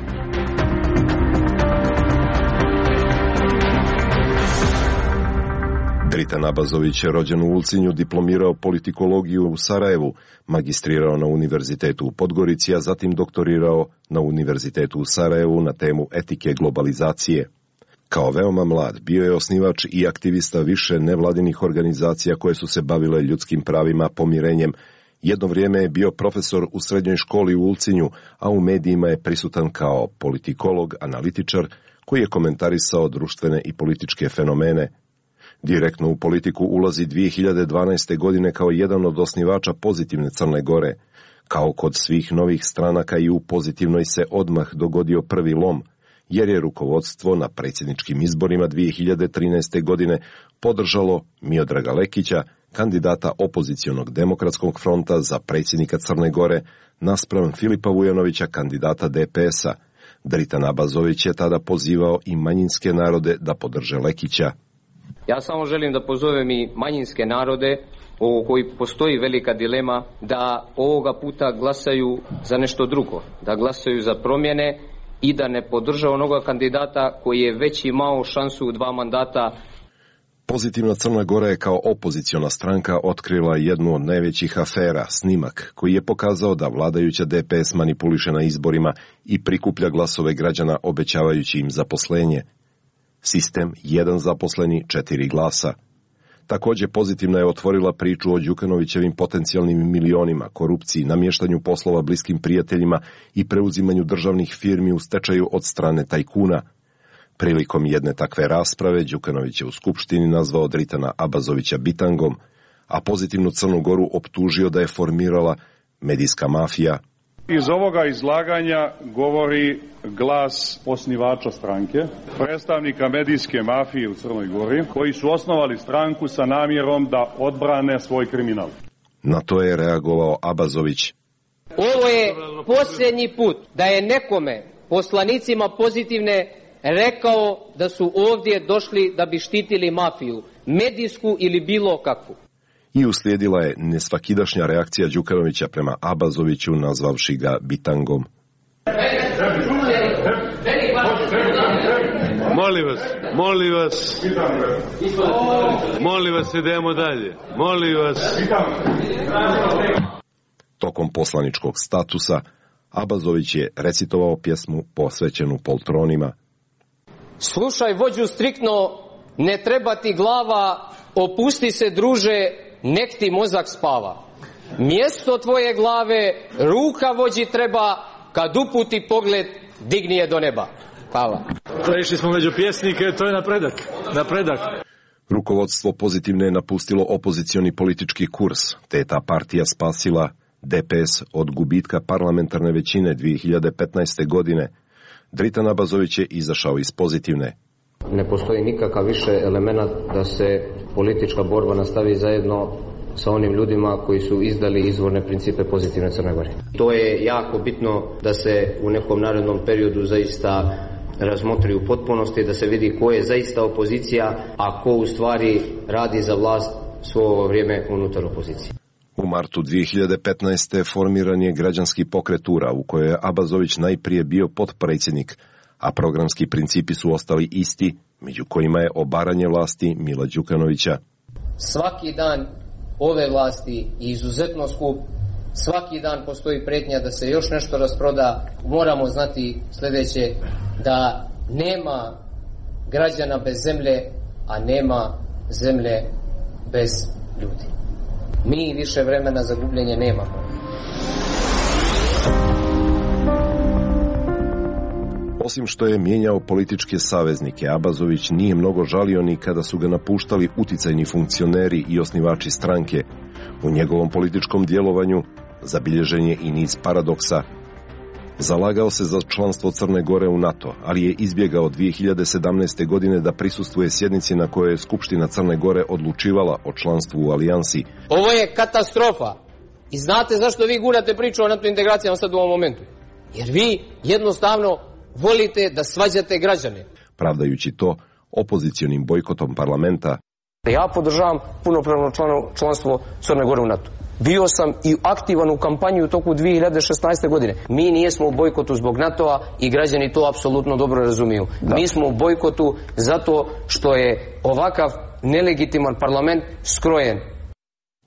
Dritan Abazović je rođen u Ulcinju, diplomirao politikologiju u Sarajevu, magistrirao na Univerzitetu u Podgorici, a zatim doktorirao na Univerzitetu u Sarajevu na temu etike globalizacije. Kao veoma mlad bio je osnivač i aktivista više nevladinih organizacija koje su se bavile ljudskim pravima, pomirenjem. Jedno vrijeme je bio profesor u srednjoj školi u Ulcinju, a u medijima je prisutan kao politikolog, analitičar koji je komentarisao društvene i političke fenomene. Direktno u politiku ulazi 2012. godine kao jedan od osnivača Pozitivne Crne Gore. Kao kod svih novih stranaka i u Pozitivnoj se odmah dogodio prvi lom, jer je rukovodstvo na predsjedničkim izborima 2013. godine podržalo Miodraga Lekića, kandidata opozicionog demokratskog fronta za predsjednika Crne Gore, naspram Filipa Vujanovića, kandidata DPS-a. Dritan Abazović je tada pozivao i manjinske narode da podrže Lekića. Ja samo želim da pozovem i manjinske narode o koji postoji velika dilema da ovoga puta glasaju za nešto drugo, da glasaju za promjene i da ne podrža onoga kandidata koji je već imao šansu u 2 mandata. Pozitivna Crna Gora je kao opoziciona stranka otkrila jednu od najvećih afera, snimak koji je pokazao da vladajuća DPS manipuliše na izborima i prikuplja glasove građana obećavajući im zaposlenje. Sistem 1 zaposleni, 4 glasa. Također pozitivna je otvorila priču o Đukanovićevim potencijalnim milionima, korupciji, namještanju poslova bliskim prijateljima i preuzimanju državnih firmi u stečaju od strane tajkuna. Prilikom jedne takve rasprave Đukanović je u Skupštini nazvao Dritana Abazovića bitangom, a pozitivnu Crnu Goru optužio da je formirala medijska mafija. Iz ovoga izlaganja govori glas osnivača stranke, predstavnika medijske mafije u Crnoj Gori, koji su osnovali stranku sa namjerom da odbrane svoj kriminal. Na to je reagovao Abazović. Ovo je posljednji put da je nekome, poslanicima pozitivne, rekao da su ovdje došli da bi štitili mafiju, medijsku ili bilo kakvu. I uslijedila je nesvakidašnja reakcija Đukanovića prema Abazoviću, nazvavši ga bitangom. Molim vas, idemo dalje. Molim vas. Tokom poslaničkog statusa, Abazović je recitovao pjesmu posvećenu poltronima. Slušaj vođu striktno, ne treba ti glava, opusti se druže, nek ti mozak spava. Mjesto tvoje glave, ruka vođi treba, kad uputi pogled, digni je do neba. Hvala. Prešli smo među pjesnike, to je napredak. Rukovodstvo pozitivne je napustilo opozicioni politički kurs, te je ta partija spasila DPS od gubitka parlamentarne većine 2015. godine. Dritan Abazović je izašao iz pozitivne. Ne postoji nikakav više element da se politička borba nastavi zajedno sa onim ljudima koji su izdali izvorne principe pozitivne Crne Gore. To je jako bitno da se u nekom narednom periodu zaista razmotri u potpunosti, da se vidi ko je zaista opozicija, a ko u stvari radi za vlast svo ovo vrijeme unutar opozicije. U martu 2015. formiran je građanski pokret URA, u kojoj je Abazović najprije bio potpredsjednik, a programski principi su ostali isti, među kojima je obaranje vlasti Mila Đukanovića. Svaki dan ove vlasti je izuzetno skup, svaki dan postoji pretnja da se još nešto rasproda. Moramo znati sljedeće, da nema građana bez zemlje, a nema zemlje bez ljudi. Mi više vremena za gubljenje nemamo. Osim što je mijenjao političke saveznike, Abazović nije mnogo žalio ni kada su ga napuštali uticajni funkcioneri i osnivači stranke. U njegovom političkom djelovanju zabilježen je i niz paradoksa. Zalagao se za članstvo Crne Gore u NATO, ali je izbjegao 2017. godine da prisustvuje sjednici na kojoj je Skupština Crne Gore odlučivala o članstvu u alijansi. Ovo je katastrofa. I znate zašto vi gurate priču o NATO integracijama sad u ovom momentu? Jer vi jednostavno volite da svađate građane. Pravdajući to opozicionim bojkotom parlamenta. Ja podržavam punopravno članstvo Crne Gore u NATO. Bio sam i aktivan u kampanji u toku 2016. godine. Mi nijesmo u bojkotu zbog NATO-a i građani to apsolutno dobro razumiju. Da. Mi smo u bojkotu zato što je ovakav nelegitiman parlament skrojen.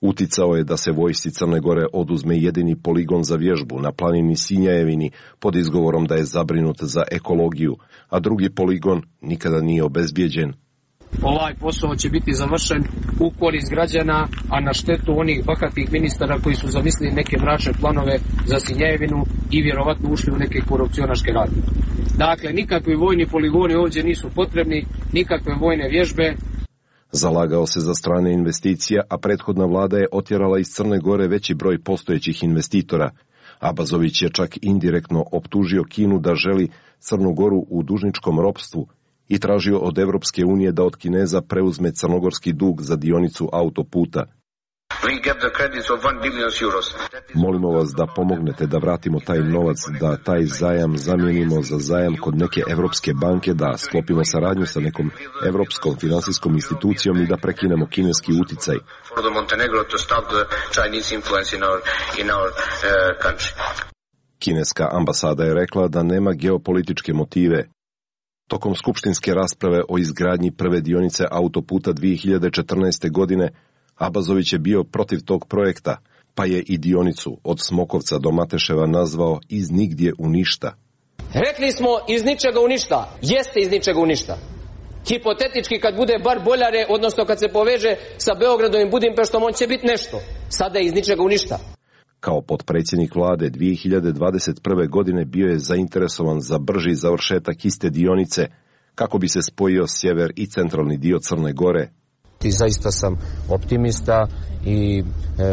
Uticao je da se vojsci Crne Gore oduzme jedini poligon za vježbu na planini Sinjajevini pod izgovorom da je zabrinut za ekologiju, a drugi poligon nikada nije obezbijeđen. Ovaj posao će biti završen u korist građana, a na štetu onih bahatih ministara koji su zamislili neke mračne planove za Sinjajevinu i vjerovatno ušli u neke korupcionaške radnje. Dakle, nikakvi vojni poligoni ovdje nisu potrebni, nikakve vojne vježbe. Zalagao se za strane investicija, a prethodna vlada je otjerala iz Crne Gore veći broj postojećih investitora. Abazović je čak indirektno optužio Kinu da želi Crnu Goru u dužničkom ropstvu i tražio od Evropske unije da od Kineza preuzme crnogorski dug za dionicu autoputa. Molimo vas da pomognete da vratimo taj novac, da taj zajam zamijenimo za zajam kod neke evropske banke, da sklopimo saradnju sa nekom evropskom finansijskom institucijom i da prekinemo kineski uticaj. Kineska ambasada je rekla da nema geopolitičke motive. Tokom skupštinske rasprave o izgradnji prve dionice autoputa 2014. godine, Abazović je bio protiv tog projekta, pa je i dionicu od Smokovca do Mateševa nazvao iz nigdje u ništa. Rekli smo iz ničega u ništa. Jeste iz ničega u ništa. Hipotetički kad bude bar Boljare, odnosno kad se poveže sa Beogradom i Budimpeštom, on će biti nešto. Sada je iz ničega u ništa. Kao potpredsjednik vlade 2021. godine bio je zainteresovan za brži završetak iste dionice kako bi se spojio sjever i centralni dio Crne Gore. I zaista sam optimista i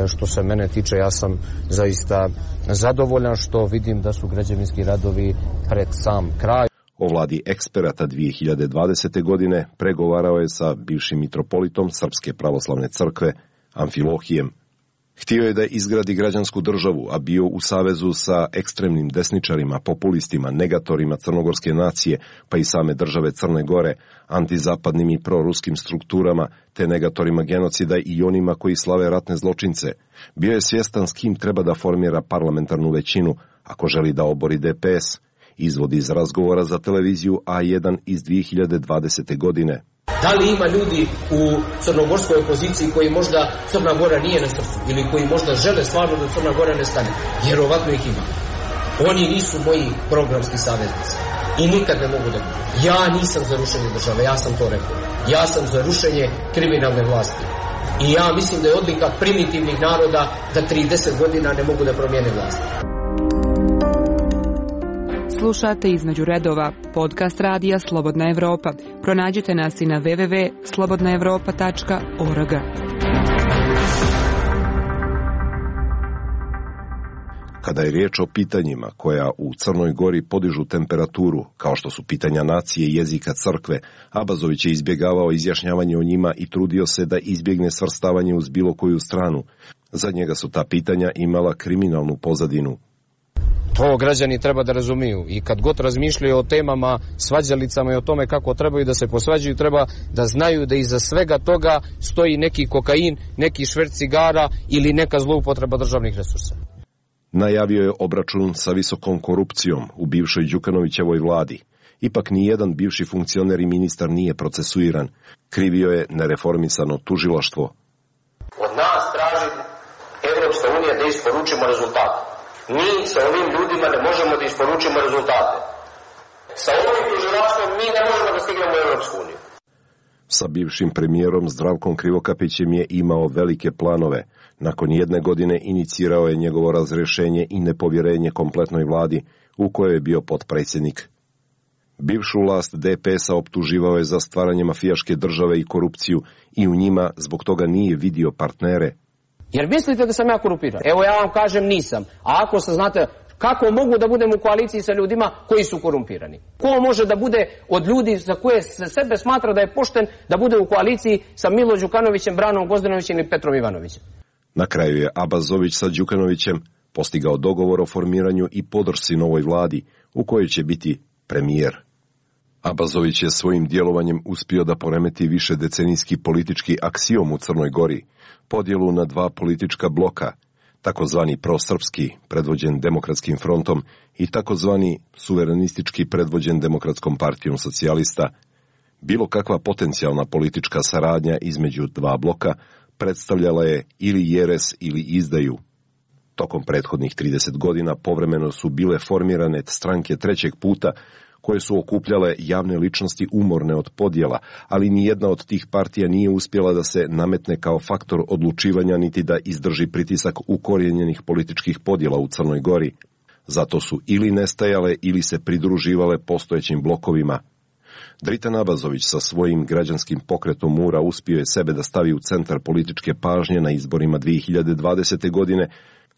što se mene tiče ja sam zaista zadovoljan što vidim da su građevinski radovi pred sam kraj. O vladi eksperata 2020. godine pregovarao je sa bivšim mitropolitom Srpske pravoslavne crkve Amfilohijem. Htio je da izgradi građansku državu, a bio u savezu sa ekstremnim desničarima, populistima, negatorima crnogorske nacije, pa i same države Crne Gore, antizapadnim i proruskim strukturama, te negatorima genocida i onima koji slave ratne zločince. Bio je svjestan s kim treba da formira parlamentarnu većinu, ako želi da obori DPS, izvodi iz razgovora za televiziju A1 iz 2020. godine. Da li ima ljudi u crnogorskoj opoziciji koji možda Crna Gora nije na srcu ili koji možda žele stvarno da Crna Gora ne stane? Vjerovatno ih ima. Oni nisu moji programski saveznici i nikad ne mogu da budu. Ja nisam za rušenje države, ja sam to rekao. Ja sam za rušenje kriminalne vlasti. I ja mislim da je odlika primitivnih naroda da 30 godina ne mogu da promijene vlast. Slušate Između redova, podcast radija Slobodna Evropa. Pronađite nas i na www.slobodnaevropa.org. Kada je riječ o pitanjima koja u Crnoj Gori podižu temperaturu, kao što su pitanja nacije i jezika crkve, Abazović je izbjegavao izjašnjavanje o njima i trudio se da izbjegne svrstavanje uz bilo koju stranu. Za njega su ta pitanja imala kriminalnu pozadinu. To građani treba da razumiju i kad god razmišljaju o temama, svađalicama i o tome kako trebaju da se posvađaju, treba da znaju da iza svega toga stoji neki kokain, neki šverc cigara ili neka zloupotreba državnih resursa. Najavio je obračun sa visokom korupcijom u bivšoj Đukanovićevoj vladi. Ipak nijedan bivši funkcioner i ministar nije procesuiran. Krivio je nereformisano tužilaštvo. Od nas traži Evropska unija da isporučimo rezultate. Mi sa ovim ljudima ne možemo da isporučimo rezultate. Sa ovim tužilaštvom mi ne možemo da stignemo u Evropsku uniju. Sa bivšim premijerom Zdravkom Krivokapićem je imao velike planove. Nakon 1 godine inicirao je njegovo razrješenje i nepovjerenje kompletnoj vladi, u kojoj je bio potpredsjednik. Bivšu vlast DPS-a optuživao je za stvaranje mafijaške države i korupciju i u njima zbog toga nije vidio partnere. Jer mislite da sam ja korumpiran? Evo ja vam kažem nisam. A ako se znate kako mogu da budem u koaliciji sa ljudima koji su korumpirani? Ko može da bude od ljudi za koje se sebe smatra da je pošten da bude u koaliciji sa Milo Đukanovićem, Branom Gozdanovićem ili Petrom Ivanovićem? Na kraju je Abazović sa Đukanovićem postigao dogovor o formiranju i podršci novoj vladi u kojoj će biti premijer. Abazović je svojim djelovanjem uspio da poremeti višedecenijski politički aksiom u Crnoj Gori, podjelu na 2 politička bloka, takozvani prosrpski, predvođen Demokratskim frontom, i takozvani suverenistički, predvođen Demokratskom partijom socijalista. Bilo kakva potencijalna politička saradnja između 2 bloka predstavljala je ili jeres ili izdaju. Tokom prethodnih 30 godina povremeno su bile formirane stranke trećeg puta, koje su okupljale javne ličnosti umorne od podjela, ali nijedna od tih partija nije uspjela da se nametne kao faktor odlučivanja niti da izdrži pritisak ukorijenjenih političkih podjela u Crnoj Gori. Zato su ili nestajale ili se pridruživale postojećim blokovima. Dritan Abazović sa svojim građanskim pokretom Mura uspio je sebe da stavi u centar političke pažnje na izborima 2020. godine,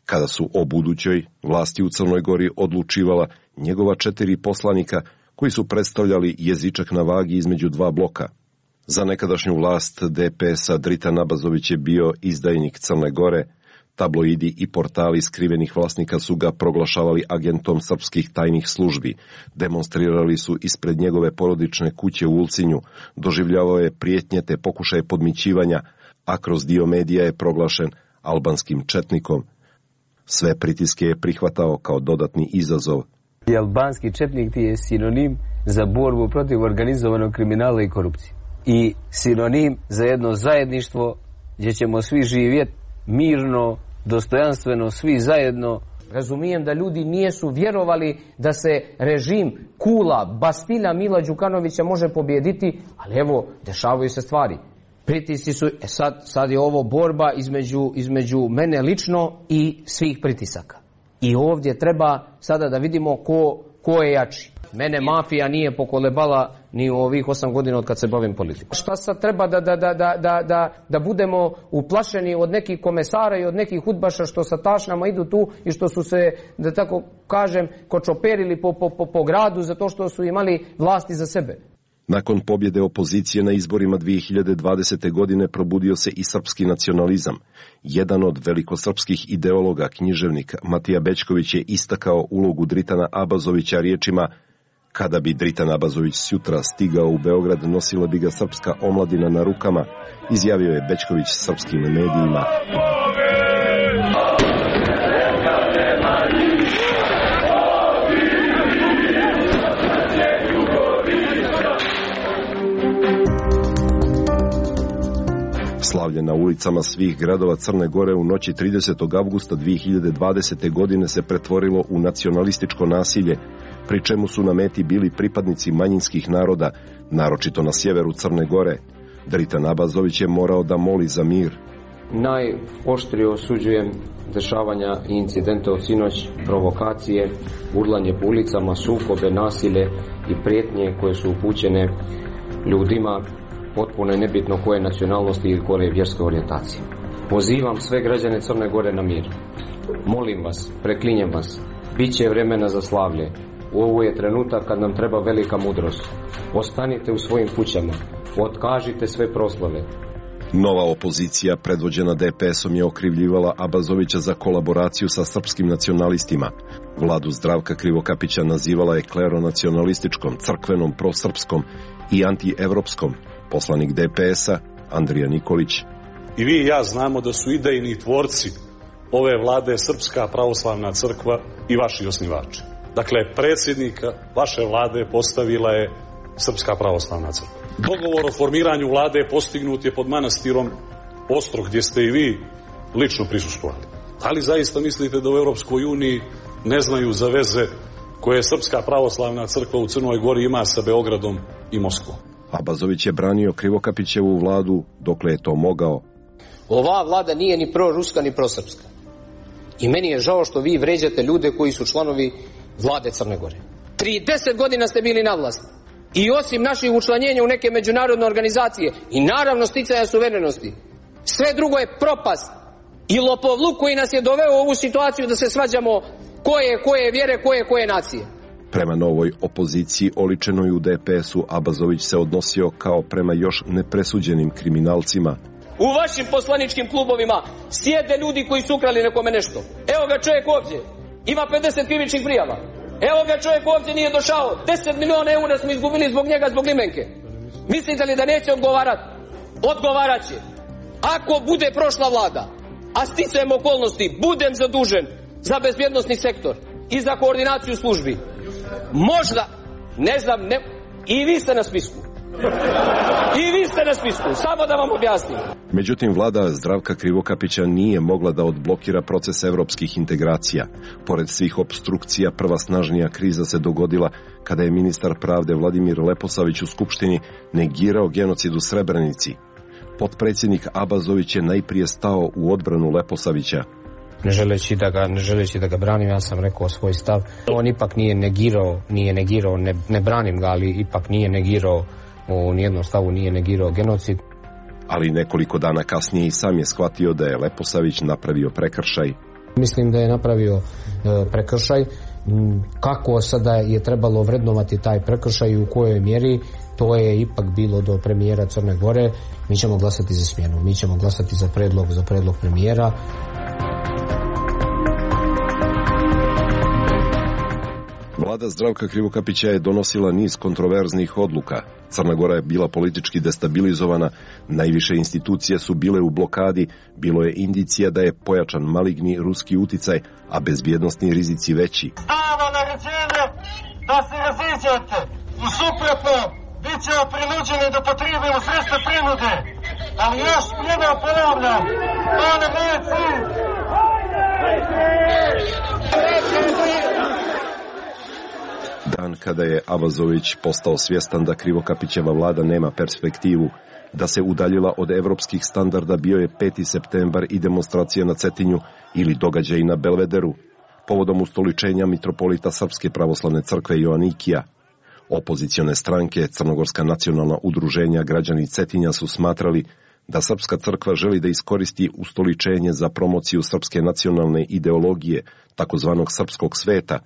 kada su o budućoj vlasti u Crnoj Gori odlučivala njegova 4 poslanika koji su predstavljali jezičak na vagi između 2 bloka. Za nekadašnju vlast DPS-a Dritan Abazović je bio izdajnik Crne Gore. Tabloidi i portali skrivenih vlasnika su ga proglašavali agentom srpskih tajnih službi. Demonstrirali su ispred njegove porodične kuće u Ulcinju. Doživljavao je prijetnje te pokušaje podmićivanja, a kroz dio medija je proglašen albanskim četnikom. Sve pritiske je prihvatao kao dodatni izazov. Albanski četnik ti je sinonim za borbu protiv organizovanog kriminala i korupcije. I sinonim za jedno zajedništvo gdje ćemo svi živjeti mirno, dostojanstveno, svi zajedno. Razumijem da ljudi nisu vjerovali da se režim Kula, Bastilja Mila Đukanovića može pobijediti, ali evo, dešavaju se stvari. Pritisci su, sad je ovo borba između mene lično i svih pritisaka. I ovdje treba sada da vidimo ko je jači. Mene mafija nije pokolebala ni u ovih 8 godina od kad se bavim politikom. Šta sad treba da budemo uplašeni od nekih komesara i od nekih udbaša što sa tašnama idu tu i što su se, da tako kažem, kočoperili po gradu zato što su imali vlasti za sebe. Nakon pobjede opozicije na izborima 2020. godine probudio se i srpski nacionalizam. Jedan od velikosrpskih ideologa, književnik Matija Bećković je istakao ulogu Dritana Abazovića riječima: kada bi Dritan Abazović sutra stigao u Beograd, nosila bi ga srpska omladina na rukama, izjavio je Bećković srpskim medijima. Slavlje na ulicama svih gradova Crne Gore u noći 30. avgusta 2020. godine se pretvorilo u nacionalističko nasilje, pri čemu su na meti bili pripadnici manjinskih naroda, naročito na sjeveru Crne Gore. Dritan Abazović je morao da moli za mir. Najoštrije osuđujem dešavanja i incidente od sinoć, provokacije, urlanje po ulicama, sukobe, nasilje i prijetnje koje su upućene ljudima potpuno je nebitno koje nacionalnosti ili koje vjerske orijentacije. Pozivam sve građane Crne Gore na mir. Molim vas, preklinjem vas, bit će vremena za slavlje. Ovo je trenutak kad nam treba velika mudrost. Ostanite u svojim kućama, otkažite sve proslave. Nova opozicija predvođena DPS-om je okrivljivala Abazovića za kolaboraciju sa srpskim nacionalistima. Vladu Zdravka Krivokapića nazivala je kleronacionalističkom, crkvenom, prosrpskom i antievropskom. Poslanik DPS-a Andrija Nikolić. I vi i ja znamo da su idejni tvorci ove vlade Srpska pravoslavna crkva i vaši osnivači. Dakle, predsjednika vaše vlade postavila je Srpska pravoslavna crkva. Dogovor o formiranju vlade postignut je pod manastirom Ostrog, gdje ste i vi lično prisustvovali. Ali zaista mislite da u Europskoj uniji ne znaju za veze koje Srpska pravoslavna crkva u Crnoj Gori ima sa Beogradom i Moskvom? Abazović je branio Krivokapićevu vladu dokle je to mogao. Ova vlada nije ni proruska ni prosrpska. I meni je žao što vi vređate ljude koji su članovi vlade Crne Gore. 30 godina ste bili na vlasti. I osim naših učlanjenja u neke međunarodne organizacije i naravno sticaja suverenosti, sve drugo je propast i lopovluk koji nas je doveo u ovu situaciju da se svađamo koje vjere, koje nacije. Prema novoj opoziciji oličenoj u DPS-u Abazović se odnosio kao prema još nepresuđenim kriminalcima. U vašim poslaničkim klubovima sjede ljudi koji su ukrali nekome nešto. Evo ga čovjek ovdje, ima 50 krivičnih prijava. Evo ga čovjek ovdje nije došao, 10 miliona eura smo izgubili zbog njega, zbog limenke. Mislite li da neće odgovarati? Odgovarat će. Ako bude prošla vlada, a sticajem okolnosti budem zadužen za bezbjednosni sektor i za koordinaciju službi, možda, ne znam, i vi ste na spisku. I vi ste na spisku, samo da vam objasnim. Međutim, vlada Zdravka Krivokapića nije mogla da odblokira proces evropskih integracija. Pored svih opstrukcija, prva snažnija kriza se dogodila kada je ministar pravde Vladimir Leposavić u Skupštini negirao genocid u Srebrenici. Potpredsjednik Abazović je najprije stao u odbranu Leposavića. Ne želeći da ga branim, ja sam rekao svoj stav. On ipak nije negirao, ne branim ga, ali ipak nije negirao, u nijednom stavu nije negirao genocid. Ali nekoliko dana kasnije i sam je shvatio da je Leposavić napravio prekršaj. Mislim da je napravio prekršaj Kako sada je trebalo vrednovati taj prekršaj i u kojoj mjeri, to je ipak bilo do premijera Crne Gore. Mi ćemo glasati za smjenu, mi ćemo glasati za predlog premijera. Vlada Zdravka Krivokapića je donosila niz kontroverznih odluka. Crna Gora je bila politički destabilizovana, najviše institucije su bile u blokadi, bilo je indicija da je pojačan maligni ruski uticaj, a bezbjednosni rizici veći. Dava naređenje da se raziđete. U suprotnom, bit ćemo prinuđeni da potrebimo sredstva prinude. Ali još jednom ponavljam, to nam nije cilj. Dan kada je Abazović postao svjestan da Krivokapićeva vlada nema perspektivu, da se udaljila od evropskih standarda, bio je 5. septembar i demonstracija na Cetinju ili događaj na Belvederu, povodom ustoličenja mitropolita Srpske pravoslavne crkve Joanikija. Opozicione stranke, Crnogorska nacionalna udruženja, građani Cetinja su smatrali da Srpska crkva želi da iskoristi ustoličenje za promociju srpske nacionalne ideologije, takozvanog srpskog sveta,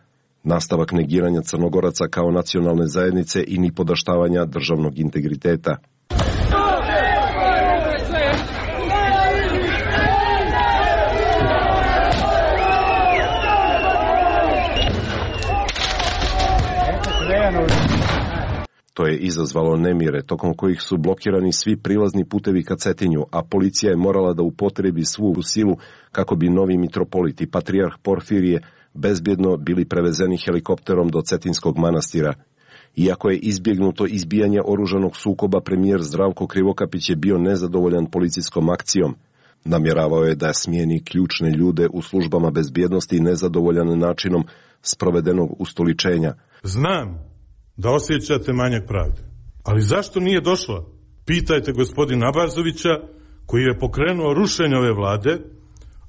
nastavak negiranja Crnogoraca kao nacionalne zajednice i nipodaštavanja državnog integriteta. To je izazvalo nemire, tokom kojih su blokirani svi prilazni putevi ka Cetinju, a policija je morala da upotrebi svu silu kako bi novi mitropolit i patrijarh Porfirije bezbjedno bili prevezeni helikopterom do Cetinskog manastira. Iako je izbjegnuto izbijanje oružanog sukoba, premijer Zdravko Krivokapić je bio nezadovoljan policijskom akcijom. Namjeravao je da smijeni ključne ljude u službama bezbjednosti nezadovoljan načinom sprovedenog ustoličenja. Znam da osjećate manjak pravde, ali zašto nije došla? Pitajte gospodina Abazovića, koji je pokrenuo rušenje ove vlade,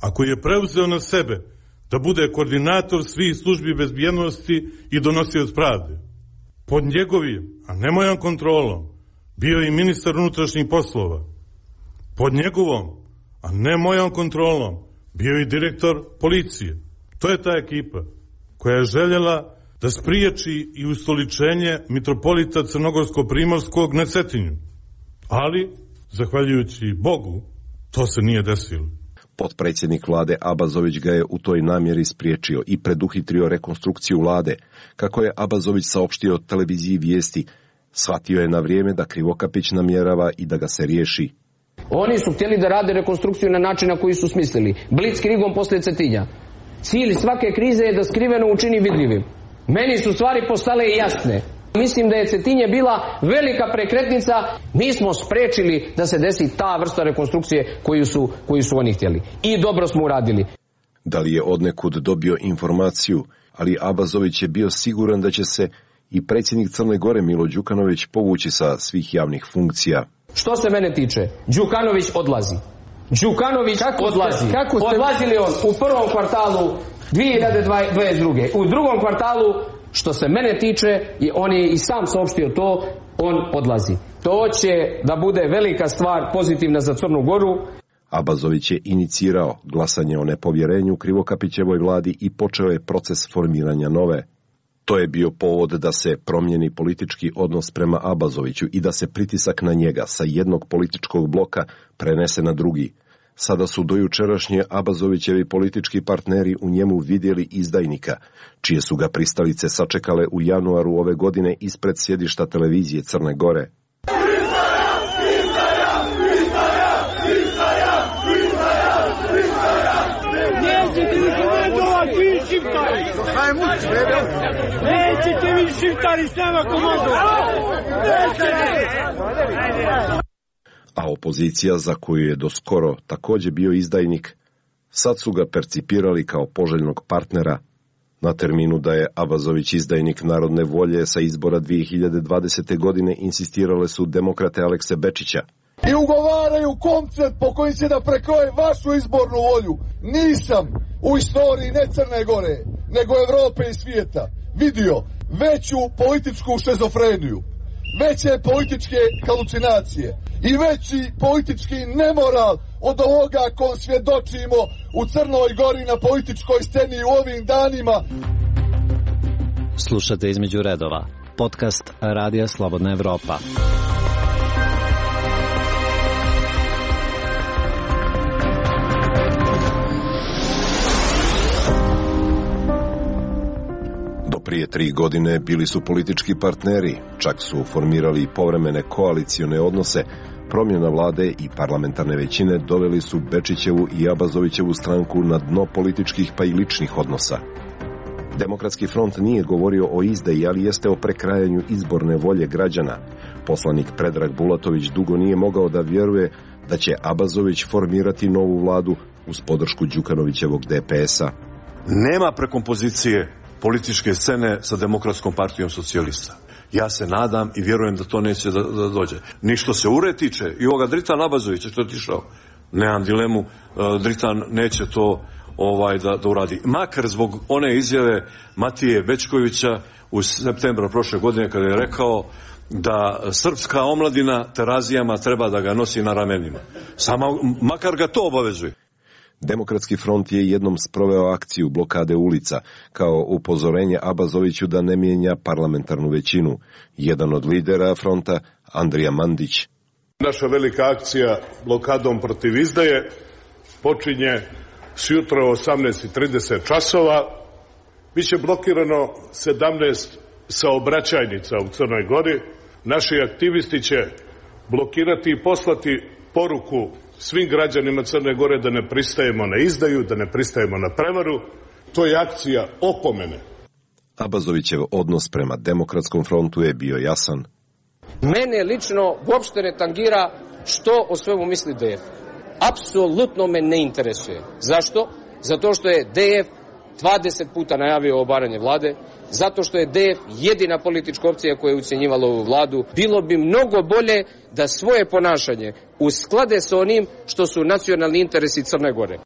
a koji je preuzeo na sebe da bude koordinator svih službi bezbjednosti i donosioc pravde. Pod njegovim, a ne mojom kontrolom, bio je i ministar unutrašnjih poslova. Pod njegovom, a ne mojom kontrolom, bio je i direktor policije. To je ta ekipa koja je željela da spriječi i ustoličenje mitropolita Crnogorsko-Primorskog na Cetinju. Ali, zahvaljujući Bogu, to se nije desilo. Potpredsjednik vlade Abazović ga je u toj namjeri spriječio i preduhitrio rekonstrukciju vlade. Kako je Abazović saopštio televiziji Vijesti, shvatio je na vrijeme da Krivokapić namjerava i da ga se riješi. Oni su htjeli da rade rekonstrukciju na način na koji su smislili. Blitzkriegom poslije Cetinja. Cilj svake krize je da skriveno učini vidljivim. Meni su stvari postale jasne. Mislim da je Cetinje bila velika prekretnica. Mi smo sprečili da se desi ta vrsta rekonstrukcije koju su oni htjeli. I dobro smo uradili. Da li je odnekud dobio informaciju, ali Abazović je bio siguran da će se i predsjednik Crne Gore Milo Đukanović povući sa svih javnih funkcija. Što se mene tiče, Đukanović odlazi. Odlazi li on u prvom kvartalu 2022. U drugom kvartalu, što se mene tiče, on je i sam saopštio to, on odlazi. To će da bude velika stvar pozitivna za Crnu Goru. Abazović je inicirao glasanje o nepovjerenju Krivokapićevoj vladi i počeo je proces formiranja nove. To je bio povod da se promijeni politički odnos prema Abazoviću i da se pritisak na njega sa jednog političkog bloka prenese na drugi. Sada su dojučerašnje Abazovićevi politički partneri u njemu vidjeli izdajnika, čije su ga pristalice sačekale u januaru ove godine ispred sjedišta televizije Crne Gore. Nećete vi šiptari s nama komodu! A opozicija, za koju je doskoro također bio izdajnik, sad su ga percipirali kao poželjnog partnera. Na terminu da je Abazović izdajnik narodne volje sa izbora 2020. godine insistirale su demokrate Alekse Bečića. I ugovaraju koncept po kojim će da prekroje vašu izbornu volju. Nisam u istoriji ne Crne Gore, nego Evrope i svijeta vidio veću političku šizofreniju, veće političke halucinacije i veći politički nemoral od ovoga kom svjedočimo u Crnoj Gori na političkoj sceni u ovim danima. Slušate Između redova, podcast Radija Slobodna Evropa. Do prije 3 godine bili su politički partneri, čak su formirali povremene koalicione odnose. Promjena vlade i parlamentarne većine doveli su Bečićevu i Abazovićevu stranku na dno političkih pa i ličnih odnosa. Demokratski front nije govorio o izdaji, ali jeste o prekrajanju izborne volje građana. Poslanik Predrag Bulatović dugo nije mogao da vjeruje da će Abazović formirati novu vladu uz podršku Đukanovićevog DPS-a. Nema prekompozicije političke scene sa Demokratskom partijom socijalista. Ja se nadam i vjerujem da to neće da dođe. Ni što se URE tiče, i ovoga Dritan Abazovića što je otišao, nemam dilemu, Dritan neće to da uradi. Makar zbog one izjave Matije Bećkovića u septembru prošle godine kada je rekao da srpska omladina terazijama treba da ga nosi na ramenima. Makar ga to obavezuje. Demokratski front je jednom sproveo akciju blokade ulica kao upozorenje Abazoviću da ne mijenja parlamentarnu većinu. Jedan od lidera fronta, Andrija Mandić. Naša velika akcija blokadom protiv izdaje počinje sjutra u 18:30 časova. Biće blokirano 17 saobraćajnica u Crnoj Gori. Naši aktivisti će blokirati i poslati poruku svim građanima Crne Gore da ne pristajemo na izdaju, da ne pristajemo na prevaru. To je akcija opomene. Abazovićev odnos prema Demokratskom frontu je bio jasan. Mene lično uopšte ne tangira što o svemu misli DF. Apsolutno me ne interesuje. Zašto? Zato što je DF 20 puta najavio obaranje vlade, zato što je DF jedina politička opcija koja je ucjenjivala ovu vladu. Bilo bi mnogo bolje da svoje ponašanje usklade sa onim što su nacionalni interesi Crne Gore.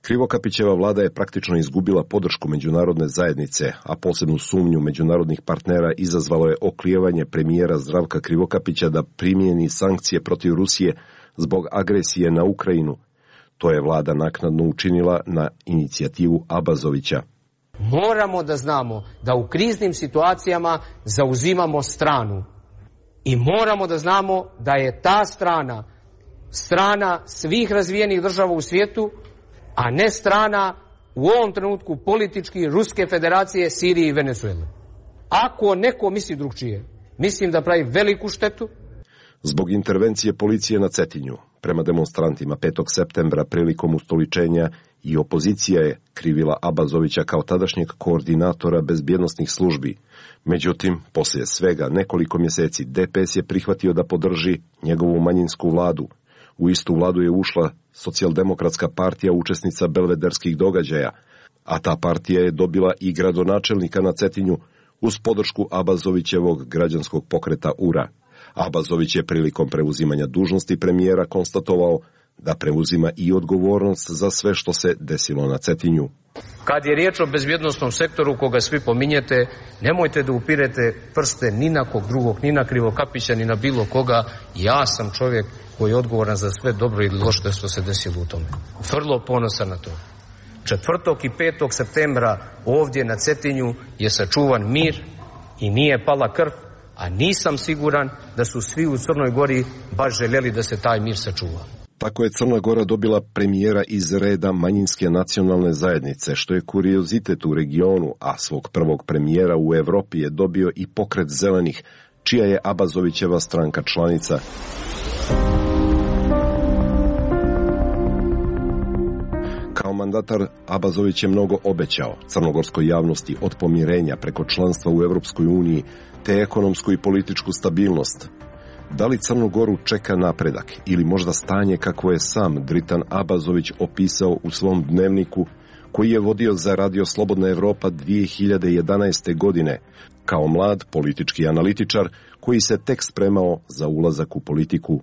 Krivokapićeva vlada je praktično izgubila podršku međunarodne zajednice, a posebnu sumnju međunarodnih partnera izazvalo je oklijevanje premijera Zdravka Krivokapića da primijeni sankcije protiv Rusije zbog agresije na Ukrajinu. To je vlada naknadno učinila na inicijativu Abazovića. Moramo da znamo da u kriznim situacijama zauzimamo stranu. I moramo da znamo da je ta strana svih razvijenih država u svijetu, a ne strana u ovom trenutku politički Ruske federacije, Sirije i Venezuele. Ako neko misli drugčije, mislim da pravi veliku štetu. Zbog intervencije policije na Cetinju prema demonstrantima 5. septembra prilikom ustoličenja i opozicija je krivila Abazovića kao tadašnjeg koordinatora bezbjednosnih službi. Međutim, poslije svega nekoliko mjeseci DPS je prihvatio da podrži njegovu manjinsku vladu. U istu vladu je ušla Socijaldemokratska partija, učesnica belvederskih događaja, a ta partija je dobila i gradonačelnika na Cetinju uz podršku Abazovićevog građanskog pokreta URA. Abazović je prilikom preuzimanja dužnosti premijera konstatovao da preuzima i odgovornost za sve što se desilo na Cetinju. Kad je riječ o bezbjednosnom sektoru koga svi pominjete, nemojte da upirete prste ni na kog drugog, ni na Krivokapića, ni na bilo koga. Ja sam čovjek koji je odgovoran za sve dobro ili loše što se desilo u tome. Vrlo ponosan na to. 4. i 5. septembra ovdje na Cetinju je sačuvan mir i nije pala krv, a nisam siguran da su svi u Crnoj Gori baš željeli da se taj mir sačuva. Tako je Crna Gora dobila premijera iz reda manjinske nacionalne zajednice, što je kuriozitet u regionu, a svog prvog premijera u Evropi je dobio i pokret zelenih, čija je Abazovićeva stranka članica. Kao mandatar Abazović je mnogo obećao crnogorskoj javnosti, od pomirenja preko članstva u Evropskoj uniji te ekonomsku i političku stabilnost. Da li Crnu Goru čeka napredak ili možda stanje kako je sam Dritan Abazović opisao u svom dnevniku koji je vodio za Radio Slobodna Evropa 2011. godine kao mlad politički analitičar koji se tek spremao za ulazak u politiku?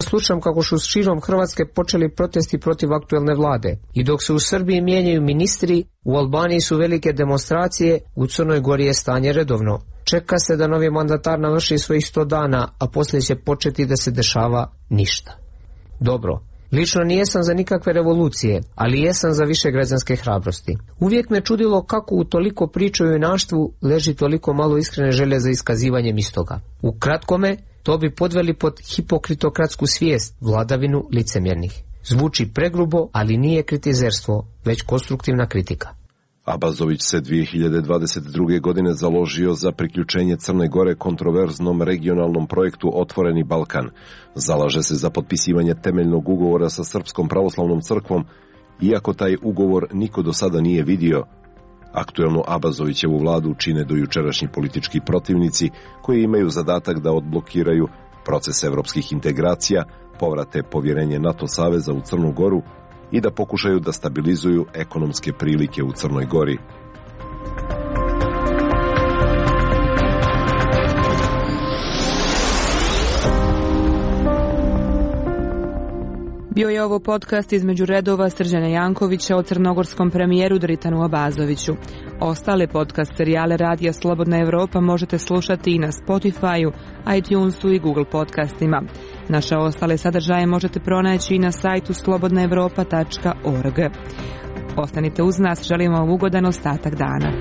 Slušam kako su širom Hrvatske počeli protesti protiv aktuelne vlade. I dok se u Srbiji mijenjaju ministri, u Albaniji su velike demonstracije, u Crnoj Gori je stanje redovno. Čeka se da novi mandatar navrši svojih 100 dana, a poslije će početi da se dešava ništa. Dobro, Lično nijesam za nikakve revolucije, ali jesam za više građanske hrabrosti. Uvijek me čudilo kako u toliko priča o junaštvu leži toliko malo iskrene želje za iskazivanjem istoga. U kratkome, to bi podveli pod hipokritokratsku svijest, vladavinu licemjernih. Zvuči pregrubo, ali nije kritizerstvo, već konstruktivna kritika. Abazović se 2022. godine založio za priključenje Crne Gore kontroverznom regionalnom projektu Otvoreni Balkan. Zalaže se za potpisivanje temeljnog ugovora sa Srpskom pravoslavnom crkvom, iako taj ugovor niko do sada nije vidio. Aktuelnu Abazovićevu vladu čine dojučerašnji politički protivnici koji imaju zadatak da odblokiraju proces evropskih integracija, povrate povjerenje NATO saveza u Crnu Goru i da pokušaju da stabilizuju ekonomske prilike u Crnoj Gori. Bio je ovo podcast između redova Srđana Jankovića o crnogorskom premijeru Dritanu Abazoviću. Ostale podcast serijale Radija Slobodna Evropa možete slušati i na Spotify-u, iTunesu i Google podcastima. Naše ostale sadržaje možete pronaći i na sajtu slobodnaevropa.org. Ostanite uz nas, želimo vam ugodan ostatak dana.